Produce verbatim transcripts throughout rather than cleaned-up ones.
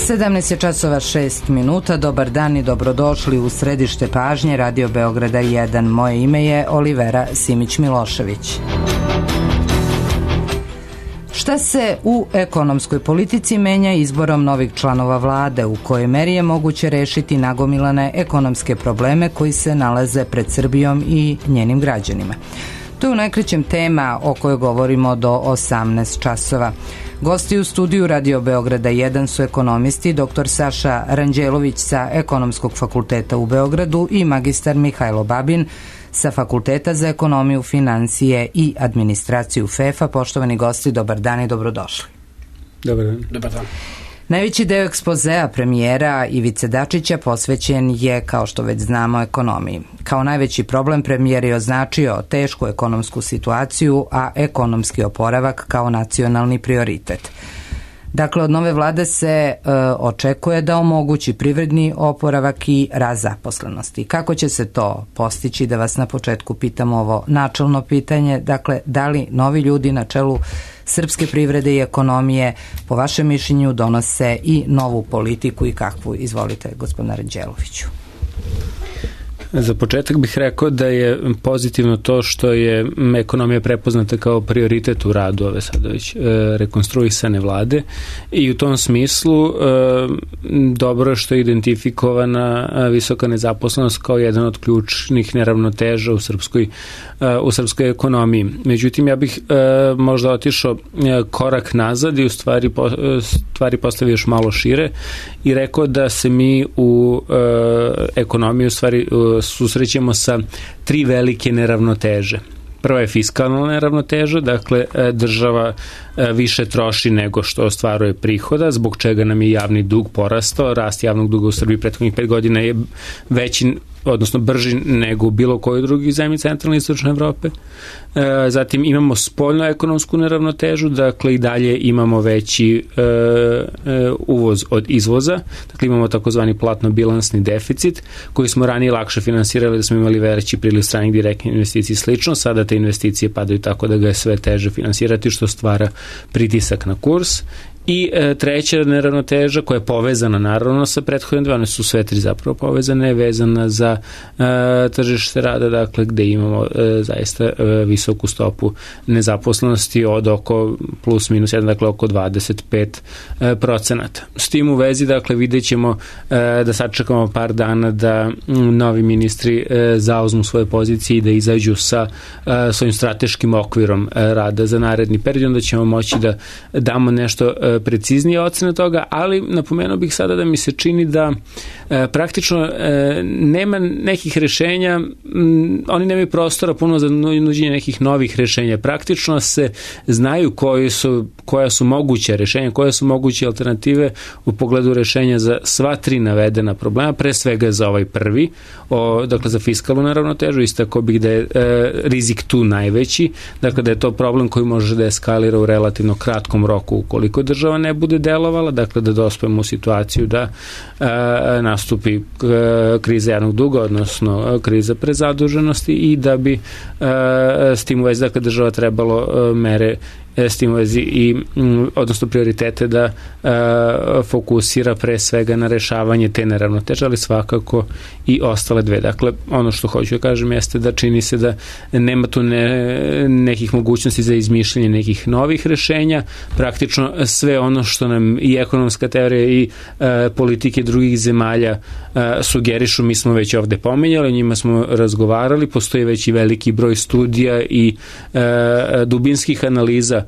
sedamnaest je časova šest minuta. Dobar dan i dobrodošli u središte pažnje Radio Beograda jedan. Moje ime je Olivera Simić-Milošević. Šta se u ekonomskoj politici menja izborom novih članova vlade, u kojoj meri je moguće rešiti nagomilane ekonomske probleme koji se nalaze pred Srbijom i njenim građanima? To je u najkraćem tema o kojoj govorimo do osamnaest časova. Gosti u studiju Radio Beograda jedan su ekonomisti dr Saša Ranđelović sa Ekonomskog fakulteta u Beogradu i magistar Mihajlo Babin sa Fakulteta za ekonomiju, financije i administraciju F E F-a. Poštovani gosti, dobar dan i dobrodošli. Dobar dan. Dobar dan. Najveći deo ekspozea premijera Ivice Dačića posvećen je, kao što već znamo, ekonomiji. Kao najveći problem premijer je označio tešku ekonomsku situaciju, a ekonomski oporavak kao nacionalni prioritet. Dakle, od nove vlade se e, očekuje da omogući privredni oporavak i rast zaposlenosti. Kako će se to postići? Da vas na početku pitam ovo načelno pitanje. Dakle, da li novi ljudi na čelu srpske privrede i ekonomije po vašem mišljenju donose i novu politiku i kakvu? Izvolite, gospodine Ranđeloviću. Za početak bih rekao da je pozitivno to što je ekonomija prepoznata kao prioritet u radu ove sada već e, rekonstruisane vlade i u tom smislu e, dobro je što je identifikovana visoka nezaposlenost kao jedan od ključnih neravnoteža u srpskoj, e, u srpskoj ekonomiji. Međutim, ja bih e, možda otišao korak nazad i u stvari, po, stvari postavio još malo šire i rekao da se mi u e, ekonomiji u stvari susrećemo sa tri velike neravnoteže. Prva je fiskalna neravnoteža, dakle država više troši nego što ostvaruje prihoda, zbog čega nam je javni dug porastao. Rast javnog duga u Srbiji prethodnih pet godina je veći, odnosno brži nego u bilo kojoj drugi zemlji centralne i istočne Evrope. E, zatim imamo spoljnu ekonomsku neravnotežu, dakle i dalje imamo veći e, e, uvoz od izvoza, dakle imamo takozvani platno-bilansni deficit koji smo ranije lakše finansirali da smo imali veći priliv stranih direktnih investicija i slično, sada te investicije padaju tako da ga je sve teže finansirati što stvara pritisak na kurs. I e, treća neravnoteža koja je povezana naravno sa prethodne dve, one su sve tri zapravo povezane, vezana za e, tržište rada, dakle gde imamo e, zaista e, visoku stopu nezaposlenosti od oko plus minus jedan, dakle oko dvadeset pet procenata. S tim u vezi, dakle, vidjet ćemo e, da sačekamo par dana da m, novi ministri e, zauzmu svoje pozicije i da izađu sa e, svojim strateškim okvirom e, rada za naredni period, onda ćemo moći da damo nešto e, preciznije ocene toga, ali napomenuo bih sada da mi se čini da e, praktično e, nema nekih rešenja, m, oni nemaju prostora puno za nuđenje nekih novih rešenja. Praktično se znaju koji su, koja su moguće rešenja, koje su moguće alternative u pogledu rešenja za sva tri navedena problema, pre svega za ovaj prvi, o, dakle za fiskalnu neravnotežu, istako bih da je e, rizik tu najveći, dakle da je to problem koji može da eskalira u relativno kratkom roku ukoliko država ne bude delovala, dakle da dospemo u situaciju da e, nastupi e, kriza javnog duga, odnosno e, kriza prezaduženosti i da bi e, s tim u vezi, dakle, država trebalo e, mere s tim u vezi i odnosno prioritete da e, fokusira pre svega na rešavanje te neravnoteže, ali svakako i ostale dve. Dakle, ono što hoću da kažem jeste da čini se da nema tu ne, nekih mogućnosti za izmišljanje nekih novih rešenja. Praktično sve ono što nam i ekonomska teorija i e, politike drugih zemalja e, sugerišu, mi smo već ovde pomenjali, o njima smo razgovarali, postoji već i veliki broj studija i e, dubinskih analiza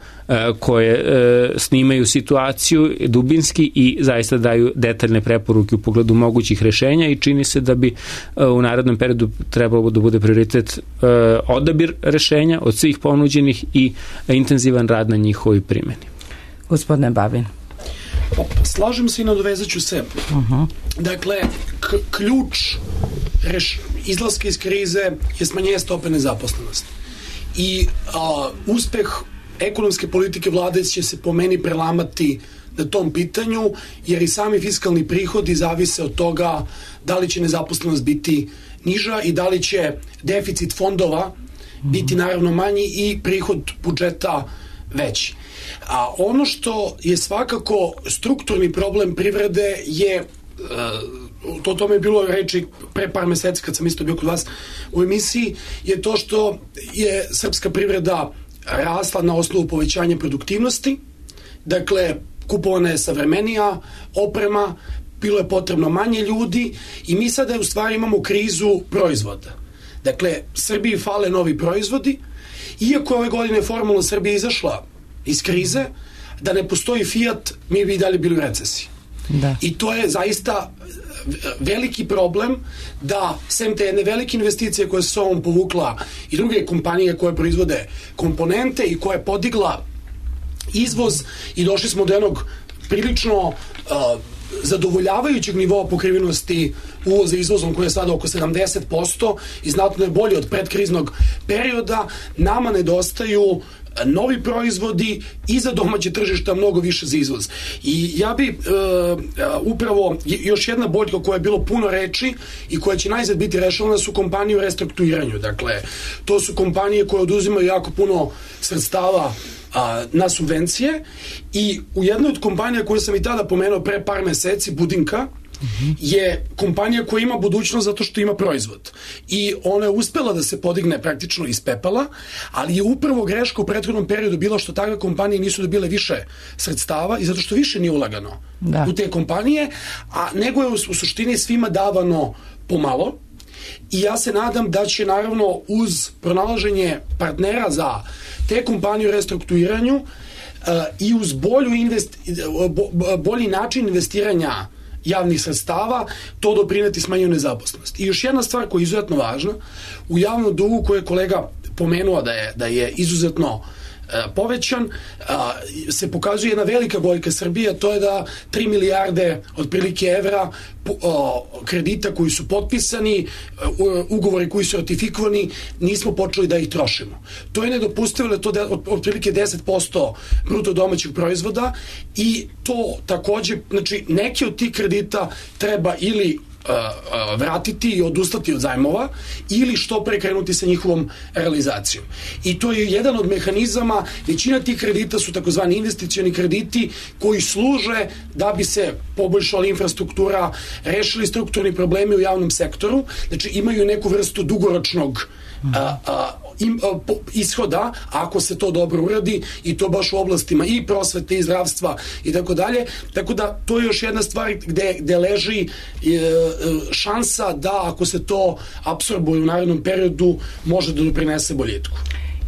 koje e, snimaju situaciju dubinski i zaista daju detaljne preporuke u pogledu mogućih rešenja i čini se da bi e, u narednom periodu trebalo da bude prioritet e, odabir rešenja od svih ponuđenih i e, intenzivan rad na njihovoj primjeni. Gospodine Babin. Slažem se i nadovezaću se. Uh-huh. Dakle, k- ključ reš- izlaska iz krize je smanjenje stope nezaposlenosti. I a, uspeh ekonomske politike vlade će se po meni prelamati na tom pitanju, jer i sami fiskalni prihodi zavise od toga da li će nezaposlenost biti niža i da li će deficit fondova biti naravno manji i prihod budžeta veći. A ono što je svakako strukturni problem privrede je, to tome je bilo reči pre par meseci kad sam isto bio kod vas u emisiji, je to što je srpska privreda rasla na osnovu povećanja produktivnosti, dakle kupovana je savremenija oprema, bilo je potrebno manje ljudi i mi sada u stvari imamo krizu proizvoda. Dakle, Srbiji fale novi proizvodi, iako je ove godine formalno Srbija izašla iz krize, da ne postoji Fiat, mi bi i dalje bili u recesiji. Da. I to je zaista veliki problem da, sem te jedne velike investicije koje se s ovom povukla i druge kompanije koje proizvode komponente i koje je podigla izvoz i došli smo do jednog prilično uh, zadovoljavajućeg nivoa pokrivenosti uvoza izvozom koji je sada oko sedamdeset posto i znatno je bolji od predkriznog perioda, nama nedostaju novi proizvodi i za domaće tržišta, mnogo više za izvoz. I ja bi e, upravo još jedna boljka koja je bilo puno reči i koja će najzad biti rešavana su kompanije u restrukturiranju. Dakle, to su kompanije koje oduzimaju jako puno sredstava a, na subvencije i u jednoj od kompanija koju sam i tada pomenuo pre par meseci, Budinka, je kompanija koja ima budućnost zato što ima proizvod. I ona je uspela da se podigne praktično iz pepela, ali je upravo greška u prethodnom periodu bila što takve kompanije nisu dobile više sredstava i zato što više nije ulagano da. u te kompanije, a nego je u, u suštini svima davano pomalo. I ja se nadam da će naravno uz pronalaženje partnera za te kompanije u restrukturiranju uh, i uz bolju invest, bo, bolji način investiranja javnih sredstava, to doprineti smanjenju nezaposlenosti. I još jedna stvar koja je izuzetno važna, u javnom dugu koje je kolega pomenuo da je, da je izuzetno e, povećan, a, se pokazuje jedna velika boljka Srbije, to je da tri milijarde otprilike evra o, kredita koji su potpisani, o, ugovori koji su ratifikovani, nismo počeli da ih trošimo. To je nedopustivo, da je to de, otprilike deset posto bruto domaćeg proizvoda i to takođe, znači neki od tih kredita treba ili vratiti i odustati od zajmova ili što pre krenuti sa njihovom realizacijom. I to je jedan od mehanizama, većina tih kredita su takozvani investicioni krediti koji služe da bi se poboljšala infrastruktura, rešili strukturni problemi u javnom sektoru, znači imaju neku vrstu dugoročnog a, a, im, a, po, ishoda ako se to dobro uradi i to baš u oblastima i prosvete i zdravstva i tako dalje, tako da to je još jedna stvar gde, gde leži e, šansa da ako se to apsorbuje u narednom periodu može da doprinese boljitku.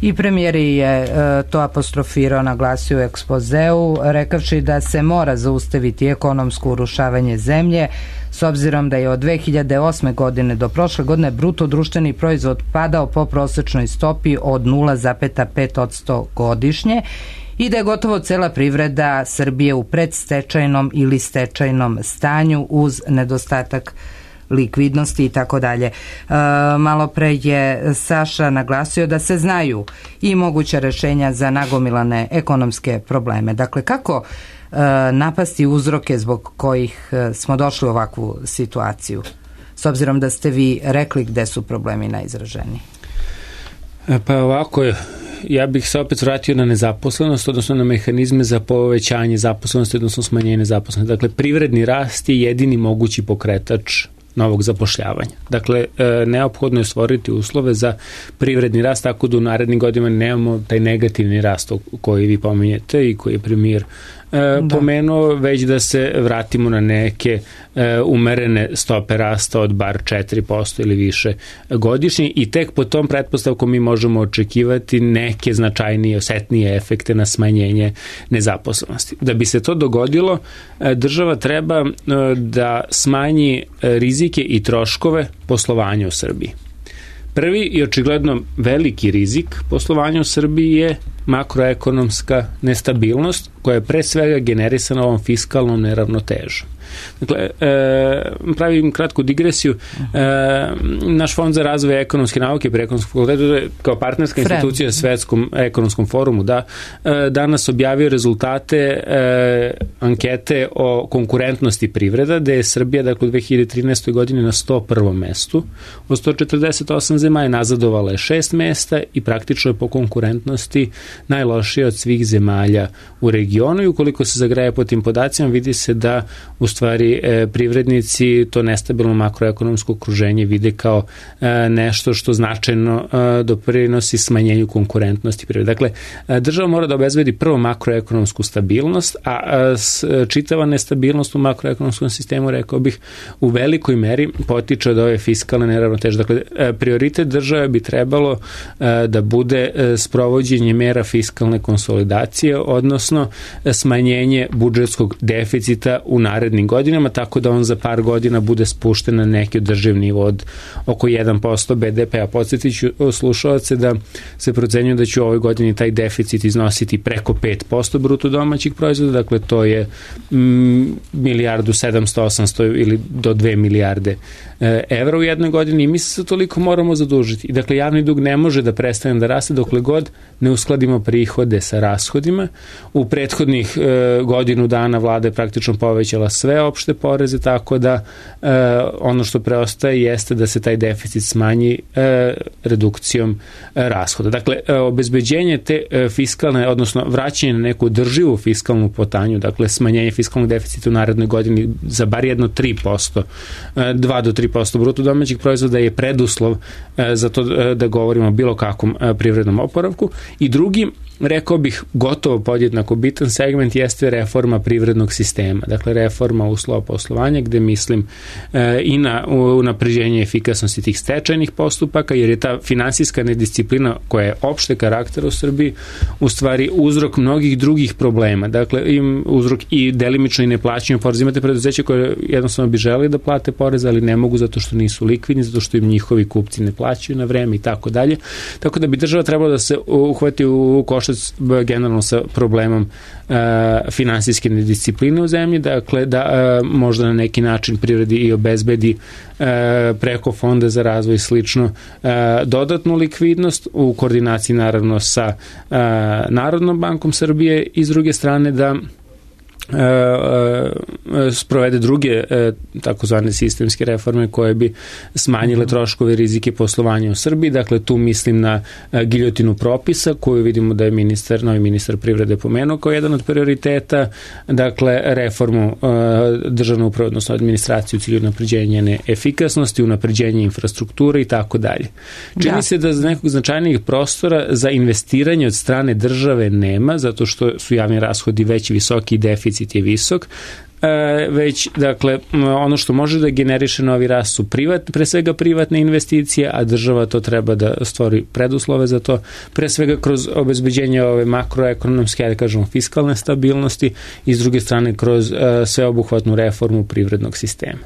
I premijer je e, to apostrofirao, naglasio u ekspozeu, rekavši da se mora zaustaviti ekonomsko urušavanje zemlje, s obzirom da je od dve hiljade osme godine do prošle godine bruto društveni proizvod padao po prosečnoj stopi od nula zarez pet posto godišnje i da je gotovo cela privreda Srbije u predstečajnom ili stečajnom stanju uz nedostatak likvidnosti i tako dalje. Malo pre je Saša naglasio da se znaju i moguća rešenja za nagomilane ekonomske probleme. Dakle, kako e, napasti uzroke zbog kojih smo došli u ovakvu situaciju, s obzirom da ste vi rekli gde su problemi najizraženiji? Pa ovako je, ja bih se opet vratio na nezaposlenost, odnosno na mehanizme za povećanje zaposlenosti, odnosno smanjenje nezaposlenosti. Dakle, privredni rast je jedini mogući pokretač novog zapošljavanja. Dakle, neophodno je stvoriti uslove za privredni rast, tako da u narednim godinama nemamo taj negativni rast koji vi pominjete i koji je premijer da. pomenuo, već da se vratimo na neke umerene stope rasta od bar četiri posto ili više godišnje i tek po tom pretpostavkom mi možemo očekivati neke značajnije, osetnije efekte na smanjenje nezaposlenosti. Da bi se to dogodilo, država treba da smanji rizike i troškove poslovanja u Srbiji. Prvi i očigledno veliki rizik poslovanja u Srbiji je makroekonomska nestabilnost koja je pre svega generisana ovom fiskalnom neravnotežom. Dakle, e, pravim kratku digresiju. E, naš fond za razvoj ekonomske nauke pri ekonomskom fakultetu kao partnerska institucija Svetskom ekonomskom forumu da e, danas objavio rezultate e, ankete o konkurentnosti privreda, gde je Srbija dakle u dve hiljade trinaestoj godini na sto prvom mestu. Od sto četrdeset osam zemalja nazadovala je šest mesta i praktično je po konkurentnosti najlošija od svih zemalja u regionu i ukoliko se zagreje po tim podacima vidi se da u stvari e, privrednici to nestabilno makroekonomsko okruženje vide kao e, nešto što značajno e, doprinosi smanjenju konkurentnosti privrede. Dakle, e, država mora da obezbedi prvo makroekonomsku stabilnost, a, a s, čitava nestabilnost u makroekonomskom sistemu, rekao bih, u velikoj meri potiče od ove fiskalne neravnoteže. Dakle, e, prioritet države bi trebalo e, da bude e, sprovođenje mera fiskalne konsolidacije, odnosno e, smanjenje budžetskog deficita u narednim godinama, tako da on za par godina bude spušten na neki održiv nivo od oko jedan posto be de pe-a. Podsjetit ću slušalce da se procenjuje da će u ovoj godini taj deficit iznositi preko pet posto bruto domaćih proizvoda, dakle to je mm, milijardu sedamsto osamsto ili do dve milijarde e, evra u jednoj godini i mi se toliko moramo zadužiti. I dakle, javni dug ne može da prestane da raste dokle god ne uskladimo prihode sa rashodima. U prethodnih e, godinu dana vlada je praktično povećala sve opšte poreze, tako da e, ono što preostaje jeste da se taj deficit smanji e, redukcijom e, rashoda. Dakle, e, obezbeđenje te e, fiskalne, odnosno vraćanje na neku održivu fiskalnu potanju, dakle smanjenje fiskalnog deficita u narednoj godini za bar jedno tri posto, e, dva do tri posto bruto domaćih proizvoda je preduslov e, za to e, da govorimo o bilo kakvom e, privrednom oporavku. I drugi, rekao bih, gotovo podjednako bitan segment jeste reforma privrednog sistema. Dakle, reforma uslova poslovanja, gde mislim e, i na unapređenje efikasnosti tih stečajnih postupaka, jer je ta finansijska nedisciplina koja je opšte karaktera u Srbiji u stvari uzrok mnogih drugih problema. Dakle, im uzrok i delimično i neplaćanju poreza. Imate preduzeće koje jednostavno bi želeli da plate porez, ali ne mogu zato što nisu likvidni, zato što im njihovi kupci ne plaćaju na vreme i tako dalje. Tako da bi država trebala da se uhvati u koštac generalno sa problemom e, finansijske nediscipline u zemlji, dakle da e, možda na neki način privredi i obezbedi e, preko fonda za razvoj slično e, dodatnu likvidnost u koordinaciji naravno sa e, Narodnom bankom Srbije i s druge strane da E, e, sprovede druge e, takozvane sistemske reforme koje bi smanjile troškove rizike poslovanja u Srbiji. Dakle, tu mislim na e, giljotinu propisa koju vidimo da je ministar, novi ministar privrede pomenuo kao jedan od prioriteta. Dakle, reformu e, državne uprave, odnosno administraciju u cilju unapređenja njene efikasnosti, unapređenja infrastrukture i tako dalje. Čini da. se da za nekog značajnijih prostora za investiranje od strane države nema, zato što su javni rashodi veći, visoki i deficit je visok, e, već, dakle, ono što može da generiše novi rast su privat, pre svega privatne investicije, a država to treba da stvori preduslove za to, pre svega kroz obezbeđenje ove makroekonomske, da kažemo, fiskalne stabilnosti i s druge strane kroz e, sveobuhvatnu reformu privrednog sistema.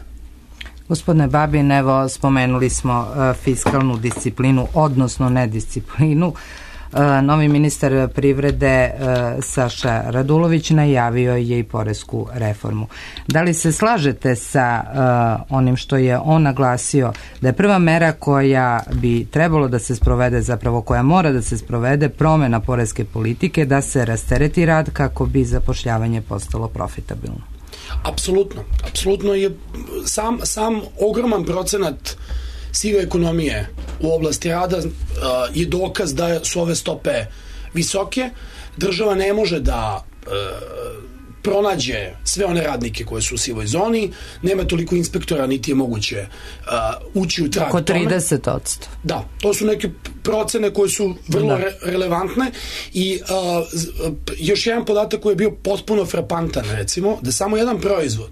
Gospodine Babin, evo, spomenuli smo e, fiskalnu disciplinu, odnosno nedisciplinu. Novi ministar privrede Saša Radulović najavio je i poresku reformu. Da li se slažete sa onim što je on naglasio da je prva mera koja bi trebalo da se sprovede, zapravo koja mora da se sprovede, promena poreske politike, da se rastereti rad kako bi zapošljavanje postalo profitabilno? Apsolutno. Apsolutno je sam, sam ogroman procenat sive ekonomije u oblasti rada uh, je dokaz da su ove stope visoke. Država ne može da uh, pronađe sve one radnike koje su u sivoj zoni, nema toliko inspektora, niti je moguće uh, ući u trag tome. Oko trideset posto. Da, to su neke procene koje su vrlo re, relevantne i uh, još jedan podatak koji je bio potpuno frapantan, recimo, da samo jedan proizvod,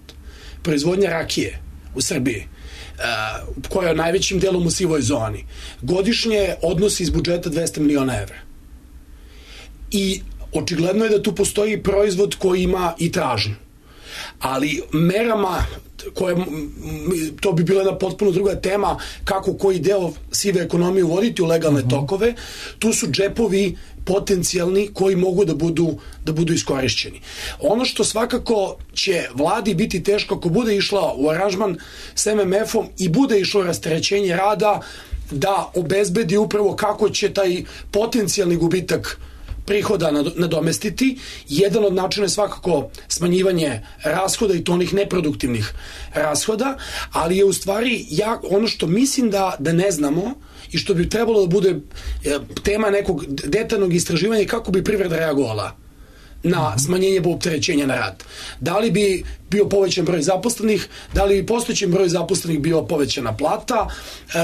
proizvodnja rakije u Srbiji, Uh, koja je najvećim delom u sivoj zoni, godišnje odnosi iz budžeta dvesta miliona evra. I očigledno je da tu postoji proizvod koji ima i tražnju. ali merama koje, to bi bila jedna potpuno druga tema, kako koji deo sive ekonomije uvoditi u legalne uh-huh. tokove, tu su džepovi potencijalni koji mogu da budu, da budu iskorišćeni. Ono što svakako će vladi biti teško ako bude išla u aranžman s em em efom i bude išlo rasterećenje rada, da obezbedi upravo kako će taj potencijalni gubitak prihoda nadomestiti. Jedan od načina je svakako smanjivanje rashoda i to onih neproduktivnih rashoda, ali je u stvari ja, ono što mislim da, da ne znamo i što bi trebalo da bude tema nekog detaljnog istraživanja kako bi privreda reagovala na smanjenje opterećenja na rad. Da li bi bio povećan broj zaposlenih, da li bi postojećem broju zaposlenih bio povećana plata,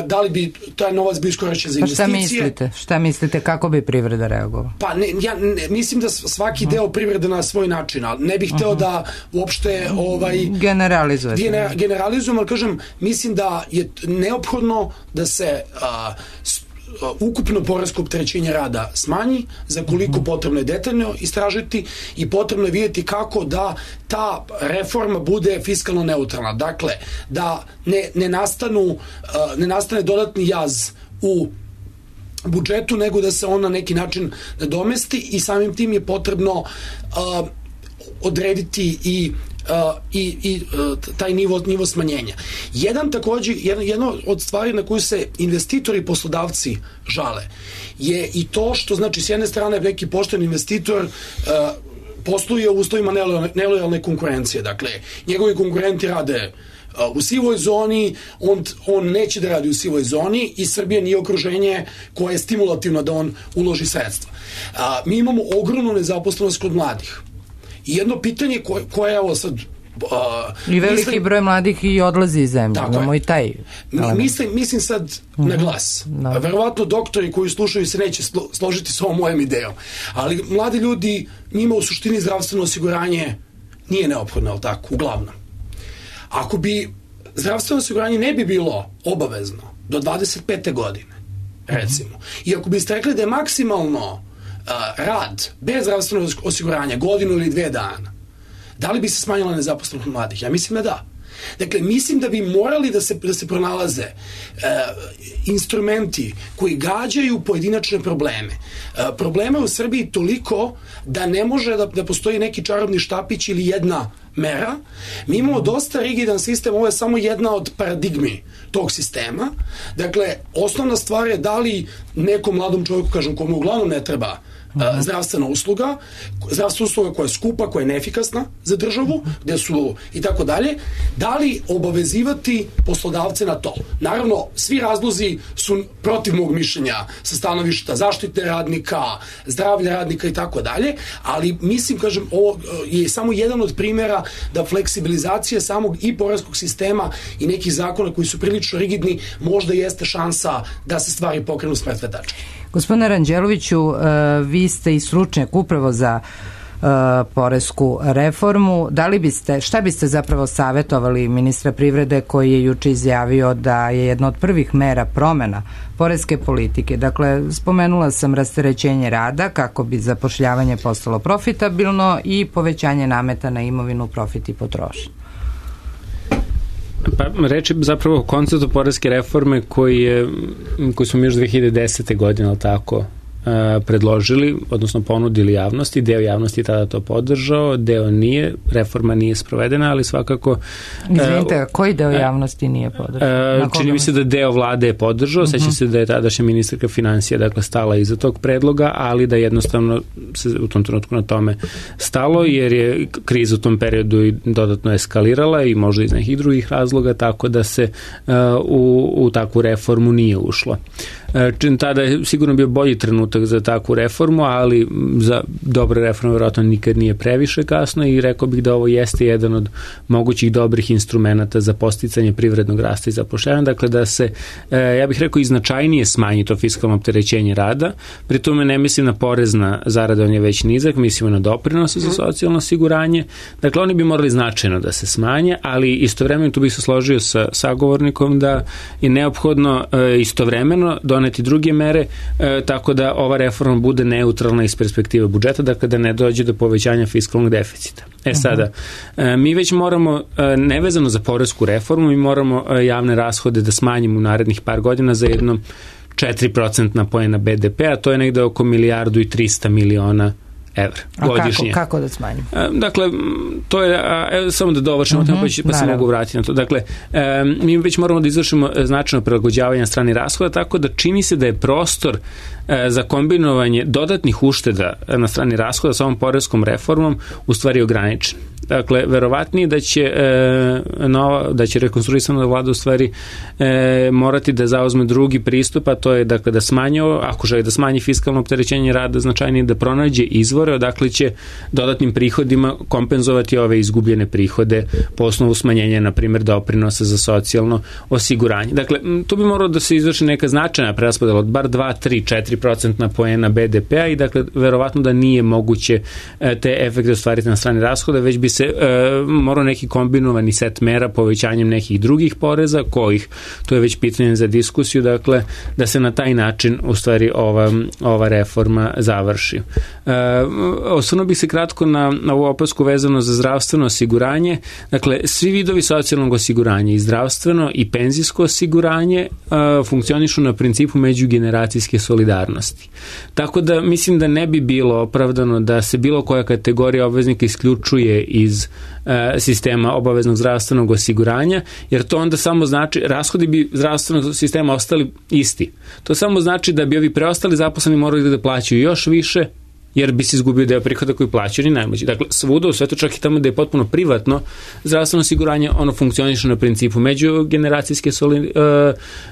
da li bi taj novac bio iskorišćen za investicije. Pa šta mislite? Šta mislite kako bi privreda reagovala? Pa ne, ja ne, mislim da svaki uh-huh. deo privrede na svoj način, ali ne bih hteo uh-huh. da uopšte ovaj, generalizujete. Gener, generalizujem, ali kažem, mislim da je neophodno da se a, ukupno poresko opterećenje rada smanji, za koliko potrebno je detaljno istražiti i potrebno je vidjeti kako da ta reforma bude fiskalno neutralna. Dakle, da ne, ne, nastanu, ne nastane dodatni jaz u budžetu, nego da se on na neki način nadomesti i samim tim je potrebno uh, odrediti i Uh, i, i uh, taj nivo, nivo smanjenja. Jedan takođe, jedno, jedno od stvari na koju se investitori i poslodavci žale je i to što, znači, s jedne strane neki pošten investitor uh, posluje u uslovima nelojalne konkurencije. Dakle, njegovi konkurenti rade uh, u sivoj zoni, on, on neće da radi u sivoj zoni i Srbija nije okruženje koje je stimulativno da on uloži sredstva. Uh, mi imamo ogromnu nezaposlenost kod mladih. I jedno pitanje koje, koje evo sad... Uh, I veliki mislim, broj mladih i odlazi iz zemlje. Imamo i taj mislim, mislim sad uh-huh. na glas. No. Verovatno doktori koji slušaju se neće slo, složiti s ovom mojom idejom. Ali mladi ljudi, njima u suštini zdravstveno osiguranje nije neophodno, ali tako, uglavnom. Ako bi zdravstveno osiguranje ne bi bilo obavezno do dvadeset pete godine, recimo, uh-huh. i ako biste rekli da je maksimalno Uh, rad bez zdravstvenog osiguranja godinu ili dve dana, da li bi se smanjila nezaposlenost mladih? Ja mislim da da. Dakle, mislim da bi morali da se, da se pronalaze uh, instrumenti koji gađaju pojedinačne probleme. Uh, problema je u Srbiji toliko da ne može da, da postoji neki čarobni štapić ili jedna mera. Mi imamo dosta rigidan sistem, ovo je samo jedna od paradigmi tog sistema. Dakle, osnovna stvar je da li nekom mladom čovjeku, kažem, komu uglavnom ne treba uh, zdravstvena usluga, zdravstvena usluga koja je skupa, koja je neefikasna za državu, gde su i tako dalje, da li obavezivati poslodavce na to. Naravno, svi razlozi su protiv mog mišljenja sa stanovišta zaštite radnika, zdravlja radnika i tako dalje, ali mislim, kažem, ovo je samo jedan od primjera da fleksibilizacija samog i poreskog sistema i nekih zakona koji su prilično rigidni možda jeste šansa da se stvari pokrenu s mrtve tačke. Gospodine Ranđeloviću, vi ste i stručnjak upravo za poresku reformu. Da li biste, šta biste zapravo savjetovali ministra privrede koji je juče izjavio da je jedna od prvih mera promena poreske politike? Dakle, spomenula sam rasterećenje rada kako bi zapošljavanje postalo profitabilno i povećanje nameta na imovinu, profit i potrošnju. Pa, reč je zapravo o konceptu poreske reforme koji, je, koji smo mi još dve hiljade desete godine, ali tako, predložili, odnosno ponudili javnosti. Deo javnosti je tada to podržao, deo nije, reforma nije sprovedena, ali svakako... Izvinite, koji deo javnosti nije podržao? Čini mi se da deo vlade je podržao, uh-huh. seća se da je tadašnja ministarka financija, dakle, stala iza tog predloga, ali da jednostavno se u tom trenutku na tome stalo, jer je kriza u tom periodu i dodatno eskalirala i možda iz nekih drugih razloga, tako da se uh, u, u takvu reformu nije ušlo. Uh, tada je sigurno bio bolji trenutak za takvu reformu, ali za dobre reforme vjerojatno nikad nije previše kasno i rekao bih da ovo jeste jedan od mogućih dobrih instrumenta za posticanje privrednog rasta i zapošljavanja, dakle da se, ja bih rekao, i značajnije smanji to fiskalno opterećenje rada, pri tome ne mislim na porez na zarade, on je već nizak, mislimo na doprinose za socijalno osiguranje, dakle oni bi morali značajno da se smanje, ali istovremeno tu bih se složio sa sagovornikom da je neophodno istovremeno doneti druge mere, tako da ova reforma bude neutralna iz perspektive budžeta, dakle da ne dođe do povećanja fiskalnog deficita. E sada, mi već moramo, nevezano za poresku reformu, mi moramo javne rashode da smanjimo u narednih par godina za jedno četiri procentna poena be de pe, a to je negde oko milijardu i trista miliona evra godišnje. A kako, kako da smanjimo? Dakle, to je, evo, samo da dovršimo, uh-huh, pa, pa se mogu vratiti na to. Dakle, mi već moramo da izvršimo značajno prilagođavanje na strani rashoda, tako da čini se da je prostor za kombinovanje dodatnih ušteda na strani rashoda sa ovom poreskom reformom u stvari ograničen. Dakle, verovatnije da će e, nova, da će rekonstruisana vlada u stvari e, morati da zauzme drugi pristup, a to je dakle da smanji, ako želi da smanji fiskalno opterećenje rada značajnije, da pronađe izvore odakle će dodatnim prihodima kompenzovati ove izgubljene prihode po osnovu smanjenja, na primjer, doprinosa za socijalno osiguranje. Dakle, tu bi moralo da se izvrši neka značajna preraspodela od bar dva, tri, četiri procentna poena be de pe-a i dakle, verovatno da nije moguće e, te efekte ostvariti na strani rashoda, već bi se E, morao neki kombinovani set mera povećanjem nekih drugih poreza, kojih, to je već pitanje za diskusiju, dakle, da se na taj način u stvari ova, ova reforma završi. E, osvrnuo bih se kratko na, na ovu opasku vezano za zdravstveno osiguranje. Dakle, svi vidovi socijalnog osiguranja, i zdravstveno i penzijsko osiguranje, e, funkcionišu na principu međugeneracijske solidarnosti. Tako da mislim da ne bi bilo opravdano da se bilo koja kategorija obveznika isključuje iz sistema obaveznog zdravstvenog osiguranja, jer to onda samo znači, rashodi bi zdravstvenog sistema ostali isti. To samo znači da bi ovi preostali zaposleni morali da plaćaju još više, jer bi se izgubio deo prihoda koji plaćaju ni najmlađi. Dakle, svuda u svetu, čak i tamo da je potpuno privatno zdravstveno osiguranje, ono funkcioniše na principu međugeneracijske soli,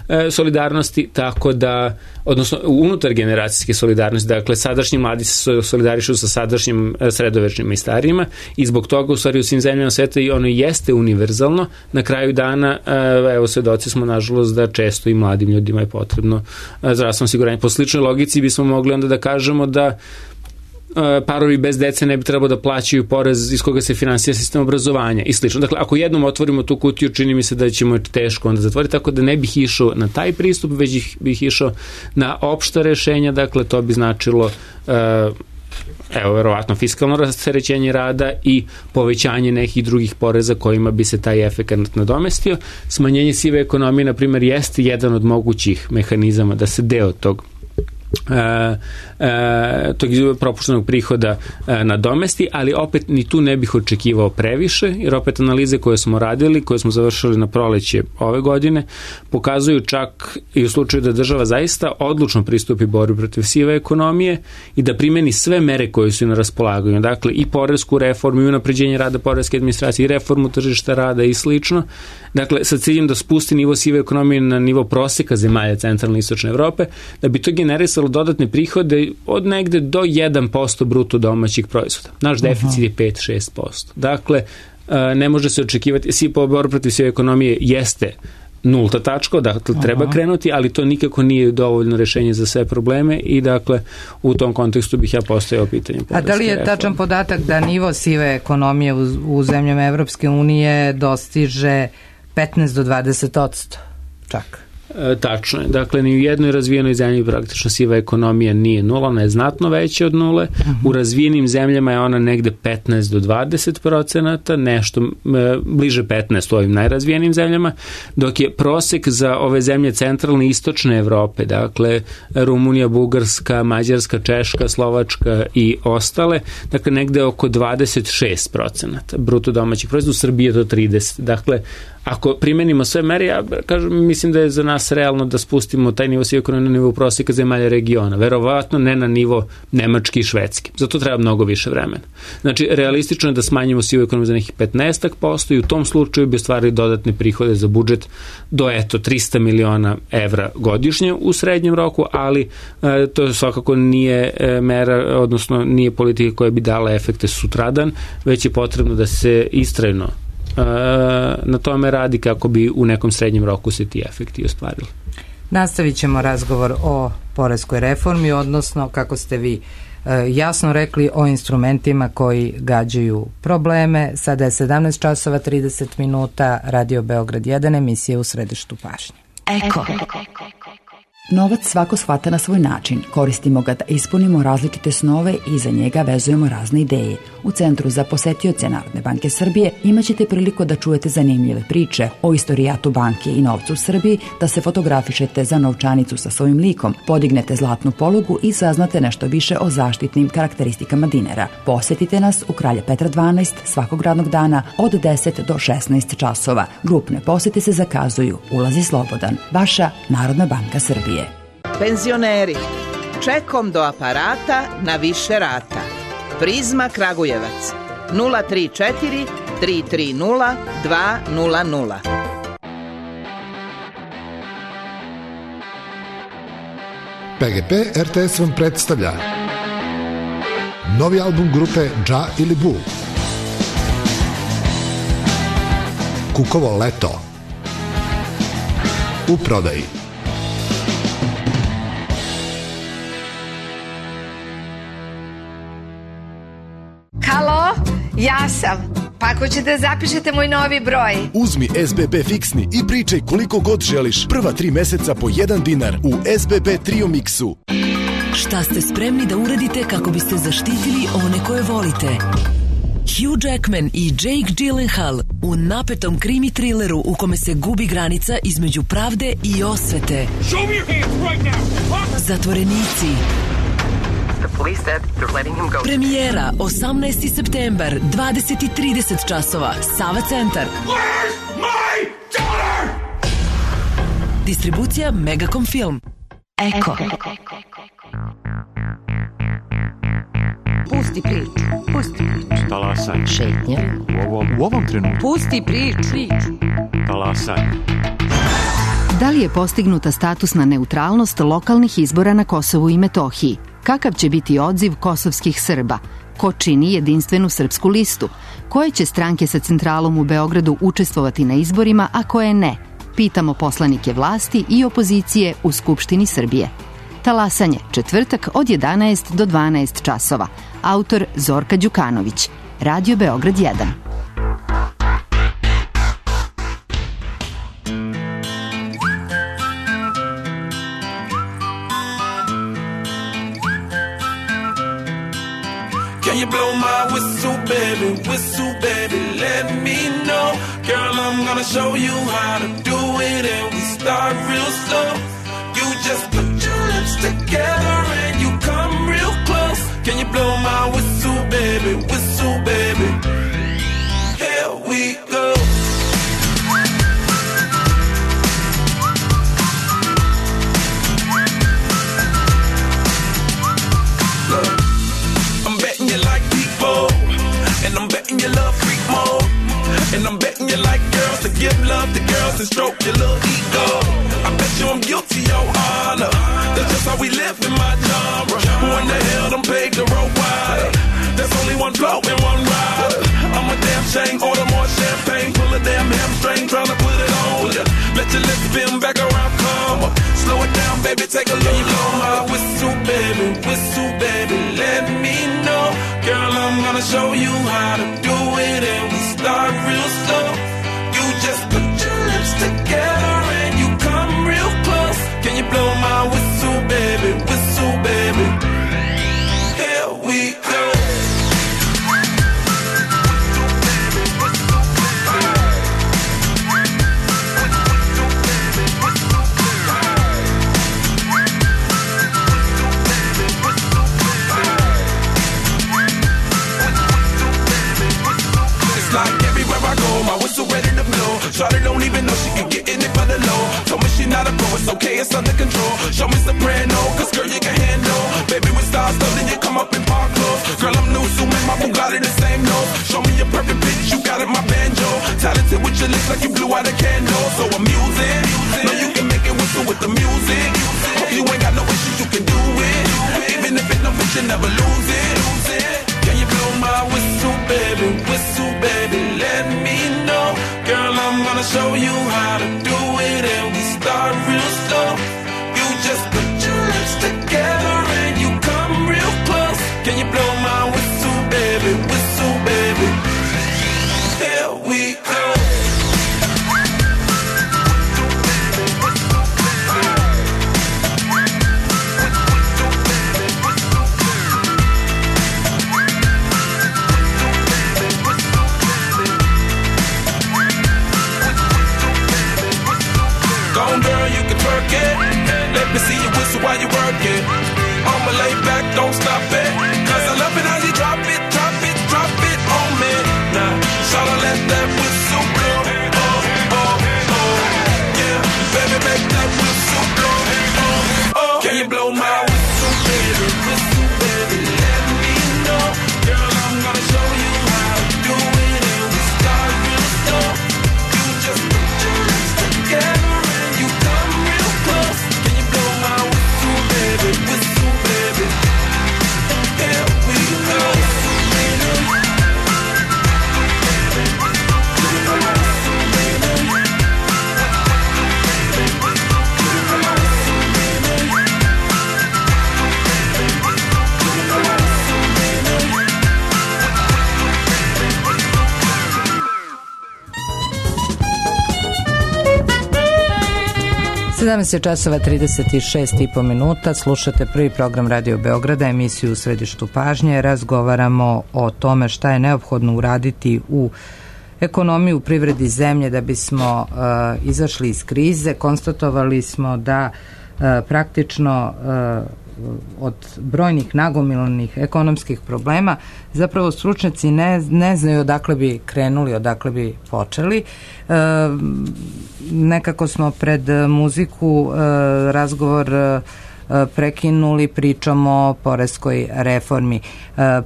e, solidarnosti, tako da, odnosno unutar generacijske solidarnosti, dakle, sadašnji mladi se solidarišu sa sadašnjim sredovečnim i starijima i zbog toga u stvari u svim zemljama sveta i ono jeste univerzalno. Na kraju dana, evo, svedoci smo nažalost da često i mladim ljudima je potrebno zdravstveno osiguranje. Po sličnoj logici bismo mogli onda da kažemo da parovi bez dece ne bi trebalo da plaćaju porez iz koga se finansira sistem obrazovanja i slično. Dakle, ako jednom otvorimo tu kutiju, čini mi se da ćemo teško onda zatvoriti, tako da ne bih išao na taj pristup, već bih išao na opšta rešenja. Dakle, to bi značilo evo, verovatno fiskalno rasterećenje rada i povećanje nekih drugih poreza kojima bi se taj efekt nadomestio. Smanjenje sive ekonomije, na primjer, jeste jedan od mogućih mehanizama da se deo tog Uh, uh, tog propuštenog prihoda uh, nadomesti, ali opet ni tu ne bih očekivao previše, jer opet analize koje smo radili, koje smo završili na proleće ove godine, pokazuju čak i u slučaju da država zaista odlučno pristupi borbi protiv sive ekonomije i da primeni sve mere koje su na raspolaganju, dakle i poresku reformu i unapređenje rada poreske administracije i reformu tržišta rada i slično, dakle sa ciljem da spusti nivo sive ekonomije na nivo proseka zemalja centralne i istočne Evrope, da bi to generisalo dodatne prihode od negde do jedan posto bruto domaćih proizvoda. Naš deficit je pet do šest posto. Dakle, ne može se očekivati, svi po borbi protiv sive ekonomije jeste nulta tačka, dakle treba Aha. krenuti, ali to nikako nije dovoljno rešenje za sve probleme i dakle u tom kontekstu bih ja postavio pitanje. A da li je reforme. Tačan podatak da nivo sive ekonomije u, u zemljama Evropske unije dostiže petnaest do dvadeset posto čak? E, tačno je. Dakle, ni u jednoj razvijenoj zemlji praktično siva ekonomija nije nula, ona je znatno veća od nule. Uh-huh. U razvijenim zemljama je ona negde petnaest do dvadeset procenata, nešto e, bliže petnaest u ovim najrazvijenim zemljama, dok je prosek za ove zemlje centralne i istočne Evrope, dakle Rumunija, Bugarska, Mađarska, Češka, Slovačka i ostale, dakle negde oko dvadeset šest procenata bruto domaćih proizvoda, u Srbiji je to trideset. Dakle, ako primenimo sve mere, ja kažem, mislim da je za nas realno da spustimo taj nivo sive ekonomije na nivo prosjeka zemalja regiona. Verovatno ne na nivo Nemački i Švedski. Zato treba mnogo više vremena. Znači, realistično je da smanjimo sivu ekonomiju za nekih petnaest posto i u tom slučaju bi ostvarili dodatne prihode za budžet do, eto, trista miliona evra godišnje u srednjem roku, ali e, to svakako nije e, mera, odnosno nije politika koja bi dala efekte sutradan, već je potrebno da se istrajno na tome radi kako bi u nekom srednjem roku se ti efekti ostvarili. Nastavit ćemo razgovor o poreskoj reformi, odnosno, kako ste vi jasno rekli, o instrumentima koji gađaju probleme. Sada je sedamnaest časova trideset minuta, Radio Beograd jedan, emisija U središtu pažnje. Eko. Novac svako shvata na svoj način, koristimo ga da ispunimo različite snove i za njega vezujemo razne ideje. U Centru za posetioce Narodne banke Srbije imaćete priliku da čujete zanimljive priče o istorijatu banke i novcu u Srbiji, da se fotografišete za novčanicu sa svojim likom, podignete zlatnu polugu i saznate nešto više o zaštitnim karakteristikama dinara. Posetite nas u Kralja Petra dvanaest svakog radnog dana od deset do šesnaest časova. Grupne posete se zakazuju, ulaz je slobodan. Vaša Narodna banka Srbije. Penzioneri, čekom do aparata na više rata. Prizma Kragujevac, nula tri četiri tri tri nula dva nula nula. P G P R T S vam predstavlja novi album grupe Dža ili Bu, Kukovo leto, u prodaji. Halo, ja sam. Pa ako ćete zapišete moj novi broj. Uzmi S B B fiksni i pričaj koliko god želiš. Prva tri meseca po jedan dinar u S B B Trio Mixu. Šta ste spremni da uradite kako biste zaštitili one koje volite? Hugh Jackman i Jake Gyllenhaal u napetom krimi trileru u kome se gubi granica između pravde i osvete. Zatvorenici. Premijera osamnaesti septembar, dvadeset i trideset časova, Sava centar. Distribucija Megacom Film. Eko. Pusti priču, pusti priču. Talasanje. Šetnja. U ovom, u ovom trenutku. Pusti priču. Talasanje. Da li je postignuta statusna neutralnost lokalnih izbora na Kosovu i Metohiji? Kakav će biti odziv kosovskih Srba? Ko čini jedinstvenu srpsku listu? Koje će stranke sa centralom u Beogradu učestvovati na izborima, a koje ne? Pitamo poslanike vlasti i opozicije u Skupštini Srbije. Talasanje, četvrtak od jedanaest do dvanaest časova. Autor Zorka Đukanović. Radio Beograd jedan. Can you blow my whistle, baby, whistle, baby, let me know. Girl, I'm gonna show you how to do it, and we start real slow. You just put your lips together and you come real close. Can you blow my whistle, baby, whistle, baby? Here we go. Look, I'm betting you like people, and I'm betting you love freak mode, and I'm betting you like girls to give love to girls and stroke your little ego. I bet you I'm guilty, your honor. That's just how we live in my genre. Who in the hell done paved the road wider? There's only one blow and one rider. I'm a damn shame, order more champagne, pull a damn hamstring, tryna put it on ya. Let your lips spin back around, come up. Slow it down, baby, take a look. You blow my whistle, baby, whistle, baby, let me know. Girl, I'm gonna show you how to do it, and we start real slow. You just put your lips together and you come real close. Can you blow my whistle, baby, whistle, baby? Here we go. My whistle ready to blow. Shawty don't even know she can get in it for the low. Told me she not a pro, it's okay, it's under control. Show me soprano, cause girl you can handle. Baby with stars, though, then you come up in park clothes. Girl I'm new, so man, my Bugatti the same nose. Show me your perfect pitch, you got it, my banjo. Talented with your lips like you blew out a candle. So I'm using, know you can make it whistle with the music. Hope you ain't got no issues, you can do it. Even if it no fit, you never lose it. Can you blow my whistle, baby, whistle, baby, let me know. Girl, I'm gonna show you how to do it, and we start real slow. You just put your lips together and you come real close. Can you blow my whistle, baby, whistle, baby? Here we go. it. Let me see you whistle while you work it. I'ma lay back, don't stop it. Cause I love it how you drop it, drop it, drop it on me. Now, shawty, let that whistle blow. Oh, oh, oh. Yeah, baby, make that whistle blow. Oh, oh. Can you blow my whistle, baby? Whistle, baby, let me know. Girl, I'm gonna show you how to do it. And we start real slow. You just put your lips together and you come real close. Can you blow my whistle, baby? Whistle, baby. Here we go. sedamnaest je časova trideset šest i po minuta, slušate prvi program Radio Beograda, emisiju U središtu pažnje. Razgovaramo o tome šta je neophodno uraditi u ekonomiji, u privredi zemlje da bismo uh, izašli iz krize. Konstatovali smo da uh, praktično uh, od brojnih nagomilanih ekonomskih problema zapravo stručnjaci ne, ne znaju odakle bi krenuli, odakle bi počeli. E, nekako smo pred muziku e, razgovor e, prekinuli pričom o poreskoj reformi. E,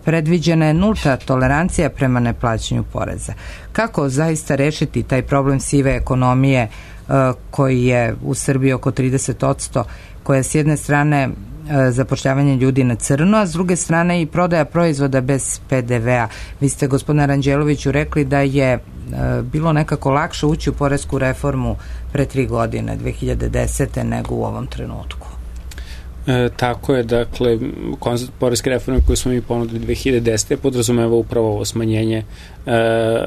predviđena je nulta tolerancija prema neplaćanju poreza. Kako zaista rešiti taj problem sive ekonomije e, koji je u Srbiji oko trideset posto, koja s jedne strane zapošljavanje ljudi na crno, a s druge strane i prodaja proizvoda bez pe de vea. Vi ste, gospodine Ranđeloviću, rekli da je e, bilo nekako lakše ući u poresku reformu pre tri godine, dve hiljade desete, nego u ovom trenutku. E, tako je, dakle, koncept poreske reforme koju smo mi ponudili dve hiljade desete podrazumeva upravo ovo smanjenje e, e,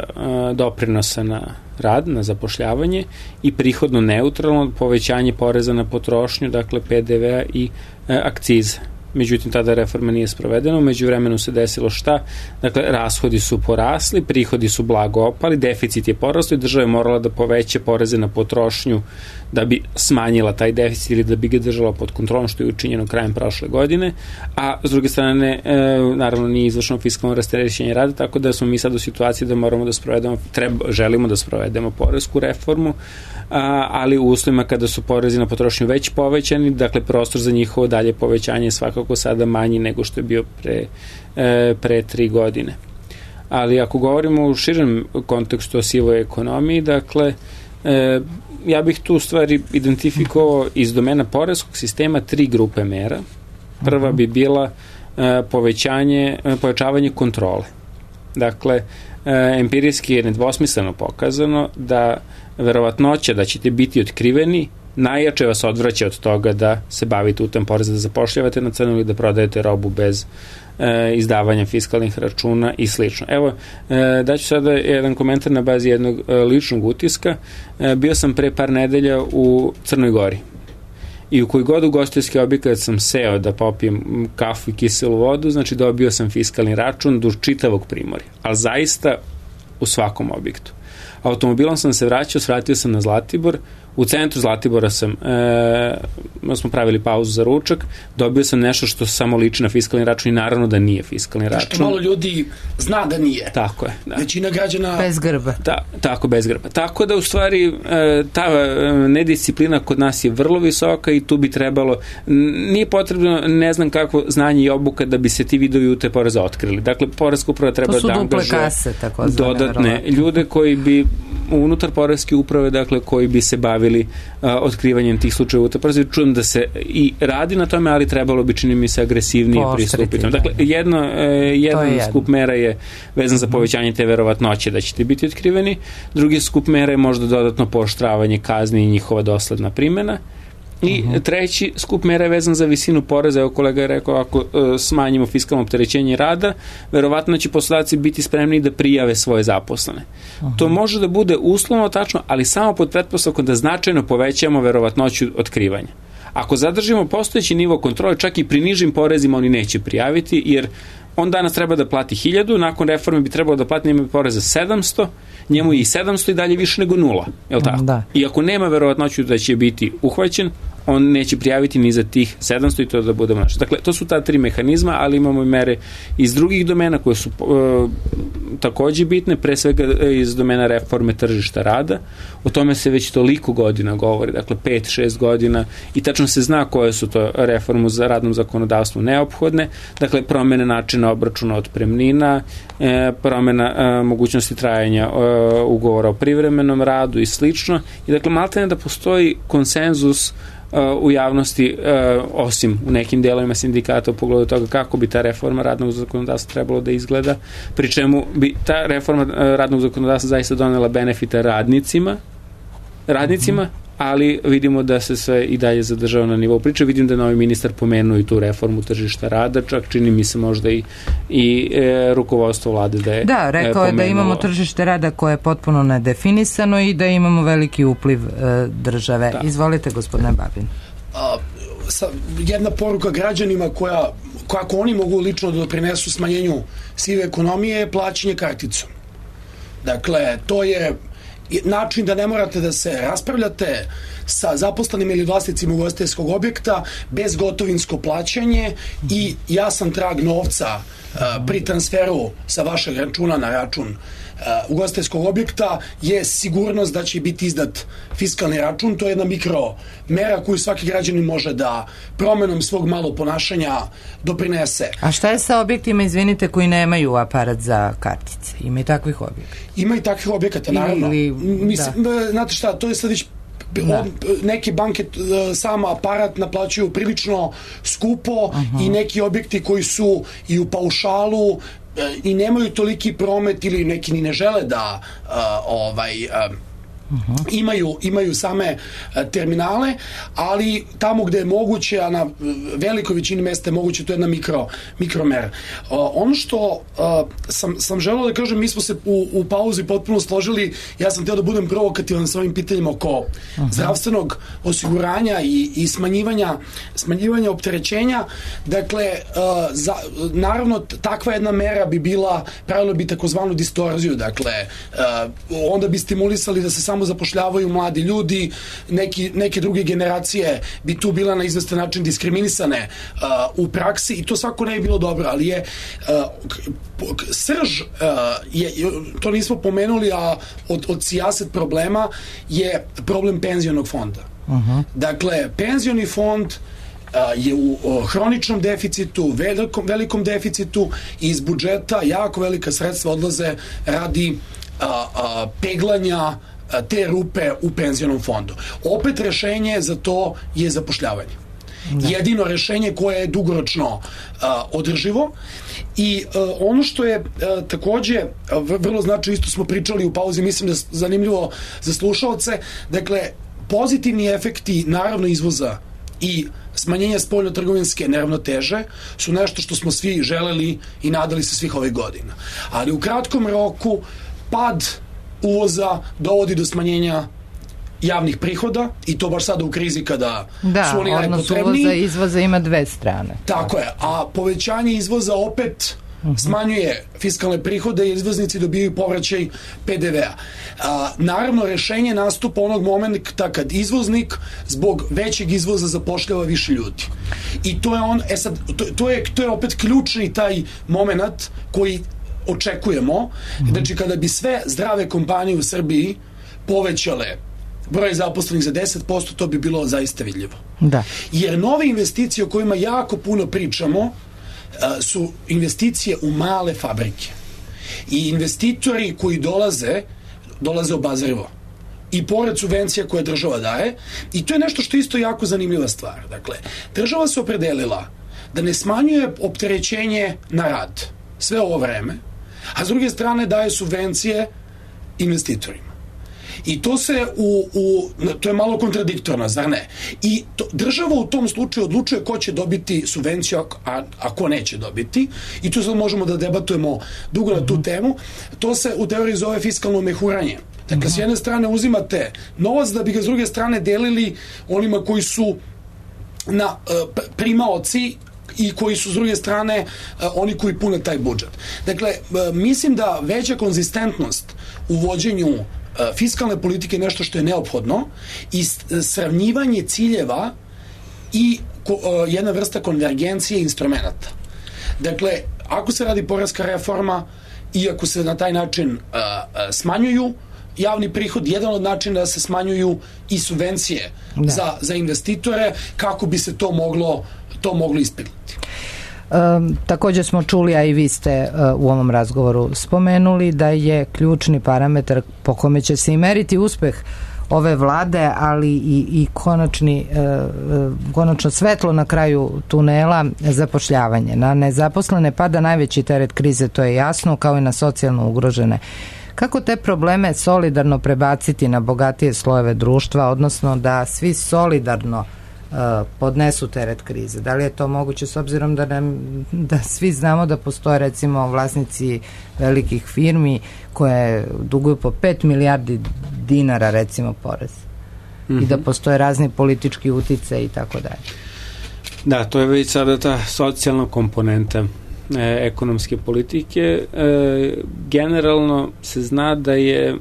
doprinosa na rad, na zapošljavanje i prihodno neutralno povećanje poreza na potrošnju, dakle pe de vea i e, akcize. Međutim, tada reforma nije sprovedena, umeđu vremenu se desilo šta? Dakle, rashodi su porasli, prihodi su blago opali, deficit je porastao i država je morala da poveća poreze na potrošnju da bi smanjila taj deficit ili da bi ga držala pod kontrolom, što je učinjeno krajem prošle godine, a s druge strane, e, naravno nije izvršeno fiskalno rasterećenje rada, tako da smo mi sad u situaciji da moramo da sprovedemo, treba, želimo da sprovedemo poresku reformu, a, ali u uslovima kada su porezi na potrošnju već povećani, dakle prostor za njihovo dalje povećanje je svakako sada manji nego što je bio pre, e, pre tri godine. Ali ako govorimo u širem kontekstu o sivoj ekonomiji, dakle, e, ja bih tu u stvari identifikovao iz domena poreskog sistema tri grupe mera. Prva bi bila e, povećanje, povećavanje kontrole. Dakle, e, empirijski je nedvosmisleno pokazano da verovatnoća da ćete biti otkriveni najjače vas odvraća od toga da se bavite utem poreza, da zapošljavate na crno ili da prodajete robu bez e, izdavanja fiskalnih računa i slično. Evo, e, daću sada jedan komentar na bazi jednog e, ličnog utiska. E, bio sam pre par nedelja u Crnoj Gori i u koji god ugostiteljski objekat sam seo da popijem kafu i kiselu vodu, znači dobio sam fiskalni račun duž čitavog Primorja, ali zaista u svakom objektu. Automobilom sam se vraćao, svratio sam na Zlatibor, u centru Zlatibora sam, e, smo pravili pauzu za ručak, dobio sam nešto što samo liči na fiskalni račun i naravno da nije fiskalni račun. Što malo ljudi zna da nije. Tako je. Da. Većina građana... Bez grba. Ta, tako, bez grba. Tako da u stvari e, ta nedisciplina kod nas je vrlo visoka i tu bi trebalo, nije potrebno ne znam kakvo znanje i obuka da bi se ti vidovi ute poreza otkrili. Dakle, poreska uprava treba da angažuje dodatne ljude koji bi unutar poreske uprave, dakle, koji bi se bavili uh, otkrivanjem tih slučajeva ute poreza. Čujem da se i radi na tome, ali trebalo bi, čini mi se, agresivnije pristupiti. Dakle, jedno, uh, jedan je skup mera je vezan za povećanje te verovatnoće da ćete biti otkriveni, drugi skup mera je možda dodatno pooštravanje kazni i njihova dosledna primjena. I uh-huh. treći skup mera je vezan za visinu poreza. Evo, kolega je rekao, ako uh, smanjimo fiskalno opterećenje rada, verovatno će poslodavci biti spremni da prijave svoje zaposlene. Uh-huh. To može da bude uslovno tačno, ali samo pod pretpostavkom da značajno povećamo verovatnoću otkrivanja. Ako zadržimo postojeći nivo kontrole, čak i pri nižim porezima oni neće prijaviti, jer on danas treba da plati hiljadu, nakon reforme bi trebalo da plati njemu poreza sedamsto, njemu i sedamsto i dalje više nego nula. Je li tako? Da. I ako nema verovatnoću da će biti uhvaćen, on neće prijaviti ni za tih sedamsto i to da budemo naši. Dakle, to su ta tri mehanizma, ali imamo i mere iz drugih domena koje su uh, takođe bitne, pre svega iz domena reforme tržišta rada. O tome se već toliko godina govori, dakle pet šest godina i tačno se zna koje su to reformu za radnom zakonodavstvu neophodne, dakle promene načina obračuna otpremnina, e, promena e, mogućnosti trajanja e, ugovora o privremenom radu i slično. I dakle maltene da postoji konsenzus u javnosti, osim u nekim delovima sindikata u pogledu toga kako bi ta reforma radnog zakonodavstva trebalo da izgleda, pri čemu bi ta reforma radnog zakonodavstva zaista donela benefita radnicima, radnicima, ali vidimo da se sve i dalje zadržava na nivou priče. Vidim da je novi ministar pomenuo i tu reformu tržišta rada, čak čini mi se možda i, i e, rukovodstvo vlade da je Da, rekao je pomenuo. Da imamo tržište rada koje je potpuno nedefinisano i da imamo veliki upliv e, države. Da. Izvolite, gospodine Babin. A, sa, jedna poruka građanima koja, kako oni mogu lično da doprinesu smanjenju sive ekonomije je plaćanje karticom. Dakle, to je način da ne morate da se raspravljate sa zaposlenim ili vlasnicima ugostiteljskog objekta, bez gotovinsko plaćanje i jasan trag novca uh, pri transferu sa vašeg računa na račun uh, ugostiteljskog objekta je sigurnost da će biti izdat fiskalni račun. To je jedna mikro mera koju svaki građanin može da promenom svog malo ponašanja doprinese. A šta je sa objektima, izvinite, koji nemaju aparat za kartice? Ima i takvih objekata? Ima i takvih objekata, naravno. Ili, Mislim, da. Znate šta, to je sad već Da. Neke banke sam aparat naplaćuju prilično skupo. Uh-huh. I neki objekti koji su i u paušalu i nemaju toliki promet ili neki ni ne žele da uh, ovaj uh, Uh-huh. imaju, imaju same uh, terminale, ali tamo gde je moguće, a na velikoj većini mesta je moguće, to je jedna mikro, mikromera. Uh, ono što uh, sam, sam želeo da kažem, mi smo se u, u pauzi potpuno složili, ja sam htio da budem provokativan sa ovim pitanjima oko uh-huh. zdravstvenog osiguranja i, i smanjivanja, smanjivanja opterećenja. Dakle, uh, za, naravno takva jedna mera bi bila, pravilo bi takozvanu distorziju, dakle uh, onda bi stimulisali da se samo zapošljavaju mladi ljudi, neki, neke druge generacije bi tu bila na izvestan način diskriminisane uh, u praksi i to svako ne je bilo dobro, ali je uh, srž uh, je, to nismo pomenuli, a od, od sijaset problema je problem penzionog fonda. Uh-huh. Dakle, penzioni fond je u hroničnom deficitu, velikom, velikom deficitu i iz budžeta jako velika sredstva odlaze radi a, a, peglanja te rupe u penzionom fondu. Opet rešenje za to je zapošljavanje. Da. Jedino rešenje koje je dugoročno uh, održivo i uh, ono što je uh, takođe uh, vrlo značajno, isto smo pričali u pauzi, mislim da je zanimljivo za slušaoce, dakle pozitivni efekti naravno izvoza i smanjenja spoljno-trgovinske neravnoteže su nešto što smo svi želeli i nadali se svih ovih godina. Ali u kratkom roku pad uvoza dovodi do smanjenja javnih prihoda i to baš sada u krizi kada da, su oni najpotrebniji. Da, odnos uvoza i izvoza ima dve strane. Tako je, a povećanje izvoza opet uh-huh. smanjuje fiskalne prihode i izvoznici dobijaju povraćaj pe de vea. A, naravno, rešenje nastupa onog momenta kad izvoznik zbog većeg izvoza zapošljava više ljudi. I to je on, e sad, to, to, je, to je opet ključni taj moment koji očekujemo. Mm-hmm. Znači, kada bi sve zdrave kompanije u Srbiji povećale broj zaposlenih za deset posto, to bi bilo zaista vidljivo. Da. Jer nove investicije o kojima jako puno pričamo su investicije u male fabrike. I investitori koji dolaze, dolaze obazrivo. I pored subvencija koje država daje. I to je nešto što je isto jako zanimljiva stvar. Dakle, država se opredelila da ne smanjuje opterećenje na rad sve ovo vreme, a s druge strane daje subvencije investitorima. I to se u, u to je malo kontradiktorno, zar ne? I to, država u tom slučaju odlučuje ko će dobiti subvenciju, a, a ko neće dobiti. I tu sad možemo da debatujemo dugo na tu temu. To se u teoriji zove fiskalno mehuranje. Dakle, s jedne strane uzimate novac da bi ga s druge strane delili onima koji su na uh, primaoci i koji su s druge strane uh, oni koji pune taj budžet. Dakle, uh, mislim da veća konzistentnost u vođenju uh, fiskalne politike je nešto što je neophodno i sravnjivanje ciljeva i ko, jedna vrsta konvergencije instrumenta. Dakle, ako se radi poreska reforma i ako se na taj način uh, uh, smanjuju javni prihod, jedan od načina da se smanjuju i subvencije za, za investitore, kako bi se to moglo, to moglo ispiliti. Um, također smo čuli, a i vi ste uh, u ovom razgovoru spomenuli da je ključni parametar po kome će se i meriti uspeh ove vlade, ali i, i konačni, uh, konačno svetlo na kraju tunela, zapošljavanje. Na nezaposlene pada najveći teret krize, to je jasno, kao i na socijalno ugrožene. Kako te probleme solidarno prebaciti na bogatije slojeve društva, odnosno da svi solidarno uh, podnesu teret krize? Da li je to moguće s obzirom da, nam, da svi znamo da postoje recimo vlasnici velikih firmi koje duguju po pet milijardi dinara recimo porez mm-hmm. i da postoje razni politički utice i tako dalje? Da, to je već sada ta socijalna komponenta e, ekonomske politike. E, generalno se zna da je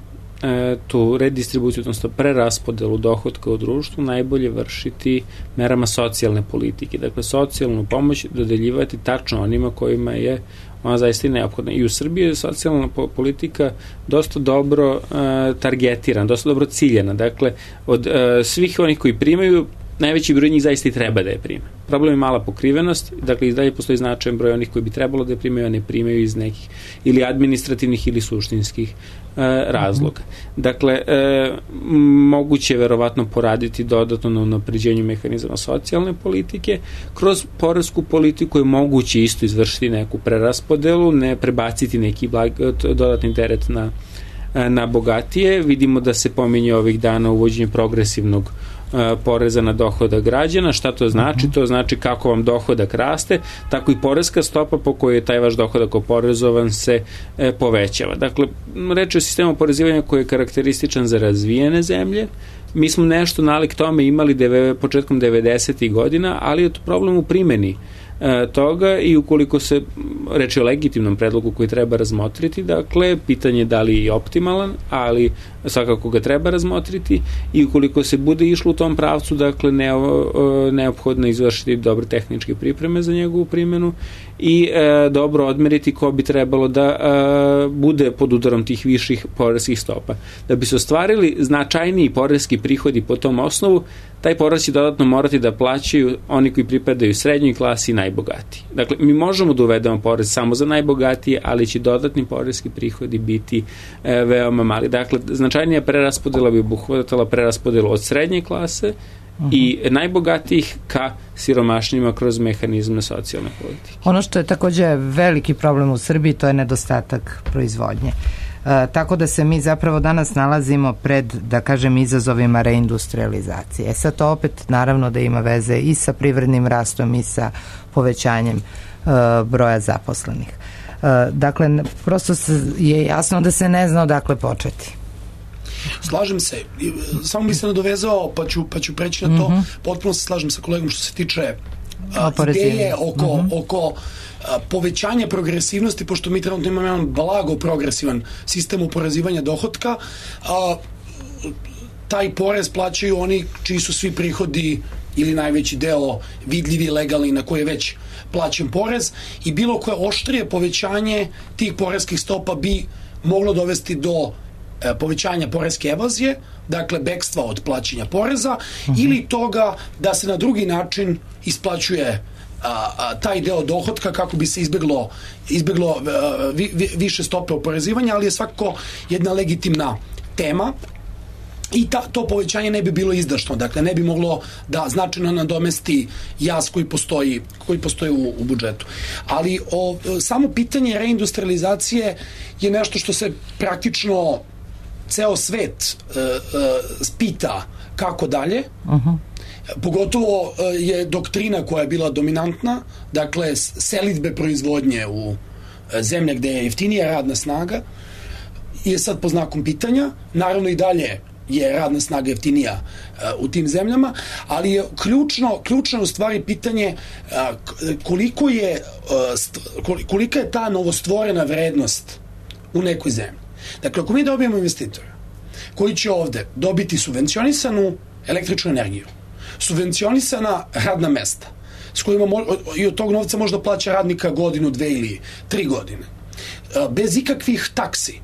e, tu redistribuciju, odnosno preraspodelu dohotka u društvu najbolje vršiti merama socijalne politike. Dakle, socijalnu pomoć dodeljivati tačno onima kojima je ona zaista i neophodna. I u Srbiji je socijalna politika dosta dobro uh, targetirana, dosta dobro ciljena. Dakle, od uh, svih onih koji primaju, najveći broj njih zaista i treba da je prime. Problem je mala pokrivenost, dakle i dalje postoji značajan broj onih koji bi trebalo da je primaju, a ne primaju iz nekih ili administrativnih ili suštinskih e, razloga. Dakle, e, moguće je verovatno poraditi dodatno na unapređenju mehanizama socijalne politike. Kroz poresku politiku je moguće isto izvršiti neku preraspodelu, ne prebaciti neki blag, dodatni teret na, na bogatije. Vidimo da se pominje ovih dana uvođenje progresivnog poreza na dohodak građana. Šta to znači? To znači kako vam dohodak raste, tako i poreska stopa po kojoj je taj vaš dohodak oporezovan se e, povećava. Dakle, reč je o sistemu oporezivanja koji je karakterističan za razvijene zemlje. Mi smo nešto nalik tome imali deve, početkom devedesetih godina, ali je to problem u primjeni e, toga i ukoliko se reči o legitimnom predlogu koji treba razmotriti, dakle, pitanje je da li je optimalan, ali svakako ga treba razmotriti i ukoliko se bude išlo u tom pravcu, dakle, ne, neophodno izvršiti dobre tehničke pripreme za njegovu primjenu i e, dobro odmeriti ko bi trebalo da e, bude pod udarom tih viših poreskih stopa. Da bi se ostvarili značajniji poreski prihodi po tom osnovu, taj porez će dodatno morati da plaćaju oni koji pripadaju srednjoj klasi i najbogatiji. Dakle, mi možemo da uvedemo porez samo za najbogatije, ali će dodatni poreski prihodi biti e, veoma mali. Dakle, značajnija preraspodela bi obuhvatala preraspodelu od srednje klase uh-huh. i najbogatijih ka siromašnjima kroz mehanizme socijalne politike. Ono što je također veliki problem u Srbiji, to je nedostatak proizvodnje. E, tako da se mi zapravo danas nalazimo pred, da kažem, izazovima reindustrializacije. E sad to opet naravno da ima veze i sa privrednim rastom i sa povećanjem e, broja zaposlenih. E, dakle, prosto je jasno da se ne zna odakle početi. Slažem se. Samo bi se nadovezao, pa ću, pa ću preći na to. Mm-hmm. Potpuno se slažem sa kolegom što se tiče a, ideje oko, mm-hmm. oko a, povećanja progresivnosti, pošto mi trenutno imamo jedan blago progresivan sistem oporezivanja dohotka. A, taj porez plaćaju oni čiji su svi prihodi ili najveći deo vidljivi, legalni, na koje je već plaćen porez, i bilo koje oštrije povećanje tih poreskih stopa bi moglo dovesti do povećanja poreske evazije, dakle bekstva od plaćanja poreza, uh-huh. ili toga da se na drugi način isplaćuje a, a, taj deo dohotka kako bi se izbeglo, izbeglo a, vi, vi, više stope oporezivanja, ali je svakako jedna legitimna tema i ta, to povećanje ne bi bilo izdašno, dakle ne bi moglo da značajno nadomesti jaz koji postoji, koji postoji u, u budžetu. Ali o, samo pitanje reindustrializacije je nešto što se praktično ceo svet uh, uh, spita kako dalje. Uh-huh. Pogotovo uh, je doktrina koja je bila dominantna, dakle selidbe proizvodnje u uh, zemlje gde je jeftinija radna snaga, je sad po znakom pitanja. Naravno i dalje je radna snaga jeftinija uh, u tim zemljama, ali je ključno, ključno u stvari pitanje uh, koliko je uh, st- kolika je ta novostvorena vrednost u nekoj zemlji. Dakle, ako mi dobijemo investitora koji će ovde dobiti subvencionisanu električnu energiju, subvencionisana radna mesta s kojima mo, i od tog novca možda plaća radnika godinu, dve ili tri godine. Bez ikakvih taksi.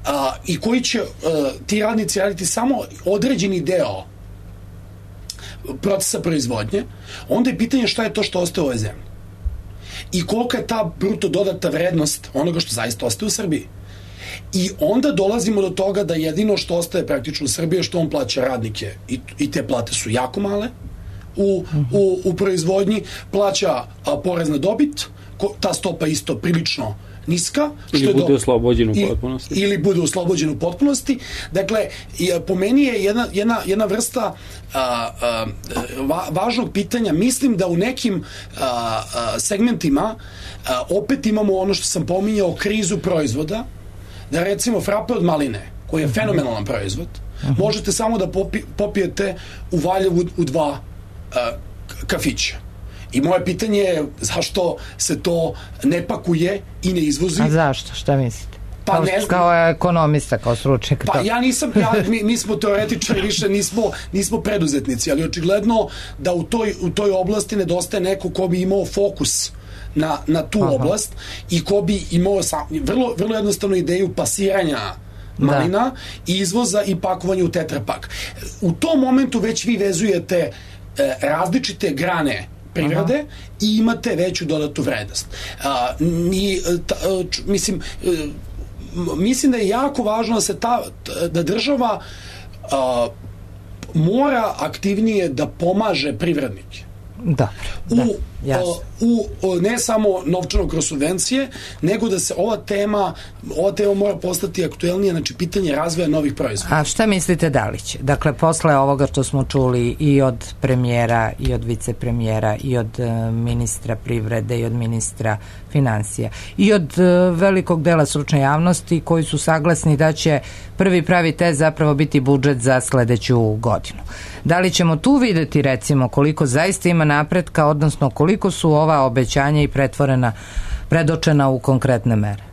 A, i koji će a, ti radnici raditi samo određeni deo procesa proizvodnje, onda je pitanje šta je to što ostaje u ovoj zemlji. I kolika je ta bruto dodata vrednost onoga što zaista ostaje u Srbiji. I onda dolazimo do toga da jedino što ostaje praktično u Srbiji je što on plaća radnike i, i te plate su jako male u, u, u proizvodnji, plaća a, porez na dobit, ko, ta stopa isto prilično niska. Ili što bude do, oslobođen u potpunosti. Ili bude oslobođen u potpunosti. Dakle, po meni je jedna, jedna, jedna vrsta a, a, va, važnog pitanja. Mislim da u nekim a, a, segmentima a, opet imamo ono što sam pominjao, krizu proizvoda, da recimo frape od maline, koji je fenomenalan proizvod, uh-huh. možete samo da popi, popijete u Valjevu u dva uh, kafića. I moje pitanje je zašto se to ne pakuje i ne izvozi. A zašto? Šta mislite? Pa kao, ne znam. Kao ekonomista, kao stručnjak. Pa to. ja nisam, ja, mi, mi smo teoretičari, više nismo, nismo preduzetnici, ali očigledno da u toj, u toj oblasti nedostaje neko ko bi imao fokus na, na tu Aha. oblast i ko bi imao sam, vrlo, vrlo jednostavnu ideju pasiranja malina da. i izvoza i pakovanja u tetrapak. U tom momentu već vi vezujete e, različite grane privrede Aha. i imate veću dodatu vrednost. A, ni, ta, č, mislim, mislim da je jako važno da se ta, da država a, mora aktivnije da pomaže privrednike. Da, u, da, u, u ne samo novčano kroz subvencije, nego da se ova tema ova tema mora postati aktuelnija, znači pitanje razvoja novih proizvoda. A šta mislite da li će? Dakle, posle ovoga što smo čuli i od premijera i od vicepremijera i od uh, ministra privrede i od ministra financija i od uh, velikog dela stručne javnosti koji su saglasni da će prvi pravi test zapravo biti budžet za sledeću godinu. Da li ćemo tu videti recimo koliko zaista ima napretka, odnosno koliko su ova obećanja i pretvorena, predočena u konkretne mere?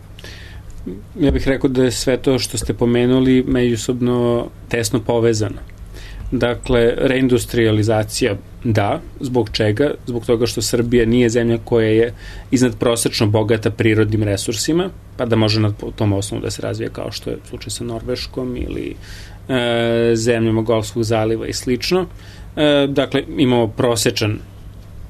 Ja bih rekao da je sve to što ste pomenuli međusobno tesno povezano. Dakle, reindustrializacija da, zbog čega? Zbog toga što Srbija nije zemlja koja je iznadprosečno bogata prirodnim resursima, pa da može na tom osnovu da se razvija kao što je slučaj sa Norveškom ili e, zemljama Golfskog zaliva i slično. E, dakle, imamo prosečan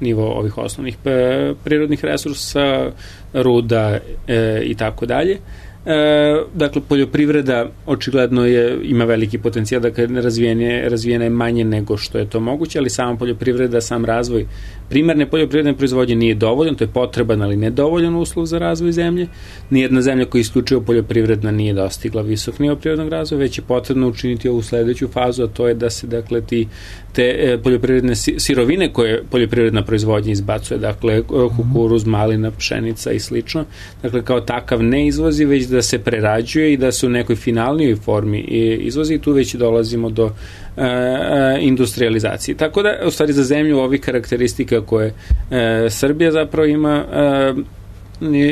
nivo ovih osnovnih e, prirodnih resursa, ruda e, i tako dalje. E, dakle, poljoprivreda očigledno je, ima veliki potencijal, dakle razvijene, razvijena je manje nego što je to moguće, ali sama poljoprivreda, sam razvoj primarne poljoprivredne proizvodnje nije dovoljan, to je potreban, ali nedovoljan uslov za razvoj zemlje. Nijedna zemlja koja je isključivo poljoprivredna nije dostigla visok nivo prirodnog razvoja, već je potrebno učiniti ovu sledeću fazu, a to je da se, dakle, ti, te e, poljoprivredne sirovine koje poljoprivredna proizvodnja izbacuje, dakle, kukuruz, malina, pšenica i slično, dakle, kao takav ne izvozi, već da se prerađuje i da se u nekoj finalnijoj formi izvozi i tu već dolazimo do e, industrializacije. Tako da, u stvari, za zemlju ovih karakteristika koje e, Srbija zapravo ima, e,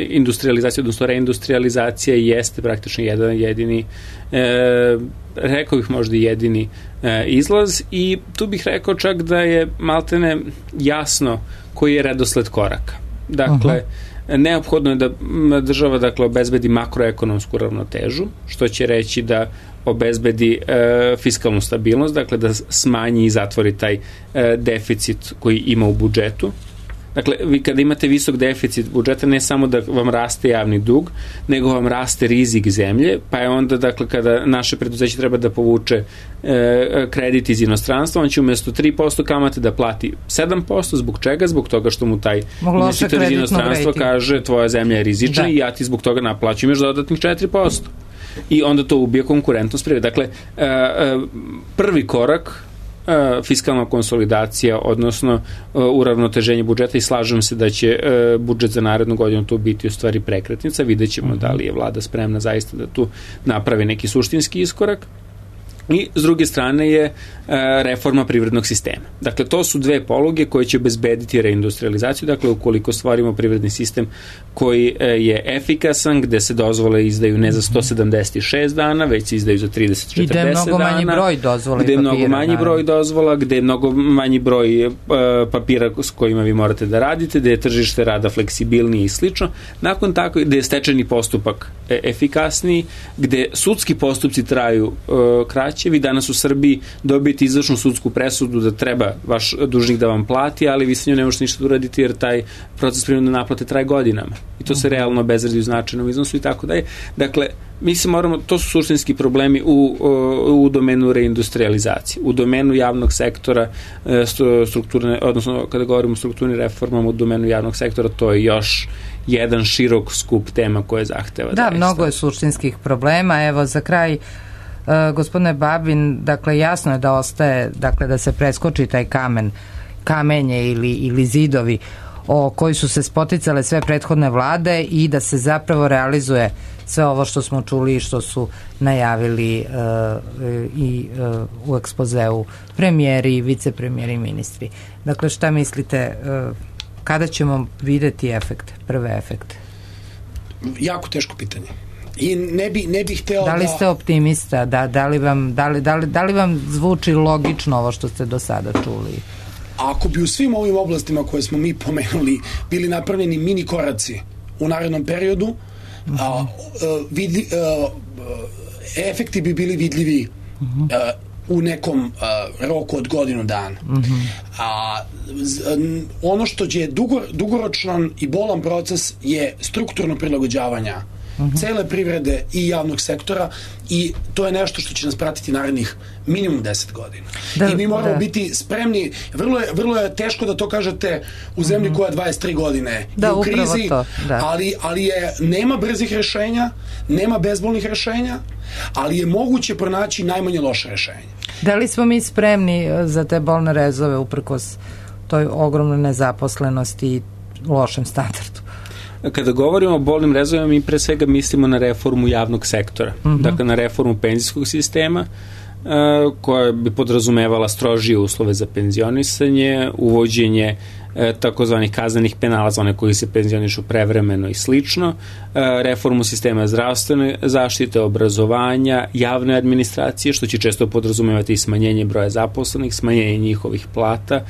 industrializacija, odnosno reindustrializacija jeste praktično jedan jedini, e, rekao bih možda jedini e, izlaz i tu bih rekao čak da je maltene jasno koji je redosled koraka. Dakle, uh-huh. neophodno je da država, dakle, obezbedi makroekonomsku ravnotežu, što će reći da obezbedi e, fiskalnu stabilnost, dakle da smanji i zatvori taj e, deficit koji ima u budžetu. Dakle, vi kada imate visok deficit budžeta, ne samo da vam raste javni dug, nego vam raste rizik zemlje, pa je onda, dakle, kada naše preduzeće treba da povuče e, kredit iz inostranstva, on će umjesto tri posto kamate da plati sedam posto, zbog čega? Zbog toga što mu taj investitor iz inostranstva kaže tvoja zemlja je rizična da. I ja ti zbog toga naplaćujem još dodatnih četiri posto. I onda to ubije konkurentnost privrede. Dakle, e, e, prvi korak fiskalna konsolidacija, odnosno uravnoteženje budžeta i slažem se da će budžet za narednu godinu tu biti u stvari prekretnica, vidjet ćemo da li je vlada spremna zaista da tu napravi neki suštinski iskorak. I s druge strane je reforma privrednog sistema. Dakle, to su dve poluge koje će obezbediti reindustrializaciju. Dakle, ukoliko stvorimo privredni sistem koji je efikasan, gde se dozvole izdaju ne za sto sedamdeset šest dana, već se izdaju za trideset četrdeset dana. I gde je mnogo manji broj dozvola i papira. Gde je mnogo manji broj dozvola, gde je mnogo manji broj papira s kojima vi morate da radite, gde je tržište rada fleksibilnije i slično. Nakon tako, gde je stečajni postupak efikasniji, gde sudski postupci traju kraće. Vi danas u Srbiji dobijete izvršnu sudsku presudu da treba vaš dužnik da vam plati, ali vi sa njom ne možete ništa da uraditi jer taj proces prinudne naplate traje godinama. I to se realno obezvredi u značajnom iznosu i tako dalje. Dakle, mi se moramo, to su suštinski problemi u, u domenu reindustrializacije, u domenu javnog sektora, strukturne, odnosno kada govorimo o strukturnim reformama u domenu javnog sektora, to je još jedan širok skup tema koje zahteva. Da, mnogo je suštinskih problema. Evo, za kraj, Uh, gospodine Babin, dakle jasno je da ostaje, dakle da se preskoči taj kamen, kamenje ili, ili zidovi o koji su se spoticale sve prethodne vlade i da se zapravo realizuje sve ovo što smo čuli i što su najavili uh, i uh, u ekspozeu premijeri, vicepremijeri i ministri. Dakle, šta mislite, uh, kada ćemo videti efekte, prve efekte? Jako teško pitanje. I ne bi, ne bih hteo da... Da li ste optimista? Da, da, li vam, da, li, da, li, da li vam zvuči logično ovo što ste do sada čuli? Ako bi u svim ovim oblastima koje smo mi pomenuli bili napravljeni mini koraci u narednom periodu, uh-huh. a, vidi, a, efekti bi bili vidljivi uh-huh. a, u nekom a, roku od godinu dana. Uh-huh. A z, ono što je dugo, dugoročan i bolan proces je strukturno prilagođavanja Uh-huh. cele privrede i javnog sektora i to je nešto što će nas pratiti narednih minimum deset godina. Da, I mi moramo da. biti spremni, vrlo je, vrlo je teško da to kažete u zemlji uh-huh. koja dvadeset tri godine da, je u krizi, to, da. ali, ali je, nema brzih rešenja, nema bezbolnih rešenja, ali je moguće pronaći najmanje loše rešenje. Da li smo mi spremni za te bolne rezove uprkos toj ogromnoj nezaposlenosti i lošem standardu? Kada govorimo o bolnim rezovima, mi pre svega mislimo na reformu javnog sektora. Uh-huh. Dakle, na reformu penzijskog sistema, uh, koja bi podrazumevala strožije uslove za penzionisanje, uvođenje uh, takozvanih kaznenih penala za one koji se penzionišu prevremeno i slično, uh, reformu sistema zdravstvene zaštite, obrazovanja, javne administracije, što će često podrazumevati i smanjenje broja zaposlenih, smanjenje njihovih plata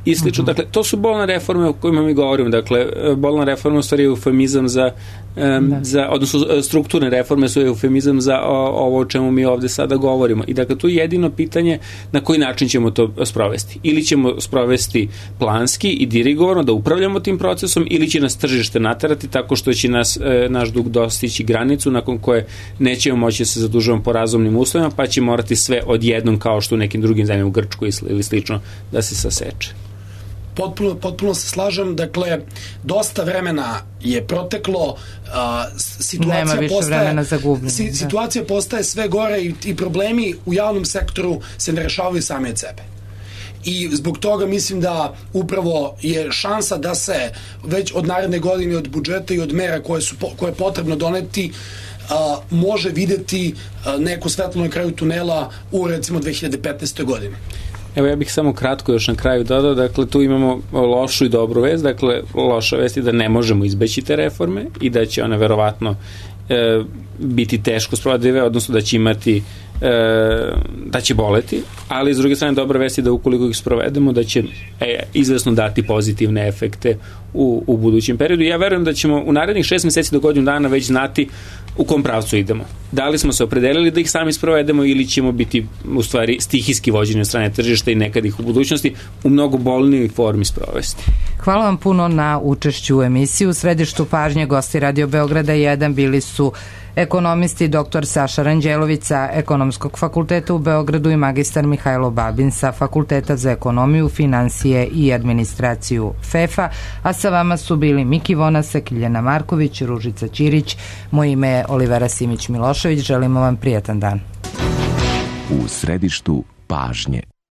i slično. Uh-huh. Dakle, to su bolne reforme o kojima mi govorimo. Dakle, bolna reforma u stvari je eufemizam za, um, za, odnosno strukturne reforme su eufemizam za o, ovo o čemu mi ovde sada govorimo. I dakle, tu je jedino pitanje na koji način ćemo to sprovesti. Ili ćemo sprovesti planski i dirigovano da upravljamo tim procesom, ili će nas tržište naterati tako što će nas, e, naš dug dostići granicu nakon koje nećemo moći da se zadužujemo po razumnim uslovima, pa će morati sve odjednom kao što u nekim drugim zemljama u Grčkoj ili slično da se saseče. Potpuno, potpuno se slažem, dakle, dosta vremena je proteklo, a, situacija Nema više postaje, vremena za gubljenje. Si, situacija postaje sve gore i, i problemi u javnom sektoru se ne rešavaju sami od sebe. I zbog toga mislim da upravo je šansa da se već od naredne godine, od budžeta i od mera koje, su, koje je potrebno doneti, a, može videti a, neko svetlo na kraju tunela u recimo dve hiljade petnaestoj godine. Evo, ja bih samo kratko još na kraju dodao, dakle, tu imamo lošu i dobru vest, dakle, loša vest je da ne možemo izbeći te reforme i da će one verovatno e, biti teško sprovodive, odnosno da će imati e, da će boleti, ali s druge strane dobra vest je da ukoliko ih sprovedemo da će e, izvesno dati pozitivne efekte u, u budućem periodu. Ja verujem da ćemo u narednih šest meseci do godinu dana već znati u kom pravcu idemo. Da li smo se opredelili da ih sami sprovedemo ili ćemo biti u stvari stihijski vođeni od strane tržišta i nekad ih u budućnosti u mnogo bolnijoj formi sprovesti. Hvala vam puno na učešću u emisiji. U središtu pažnje gosti Radio Beograda jedan bili su ekonomisti doktor Saša Ranđelović sa Ekonomskog fakulteta u Beogradu i magistar Mihajlo Babin sa Fakulteta za ekonomiju, finansije i administraciju F E F-a, a sa vama su bili Miki Vonasek, Ljiljana Marković, Ružica Ćirić, moje ime je Olivera Simić-Milošević, želimo vam prijatan dan. U središtu pažnje.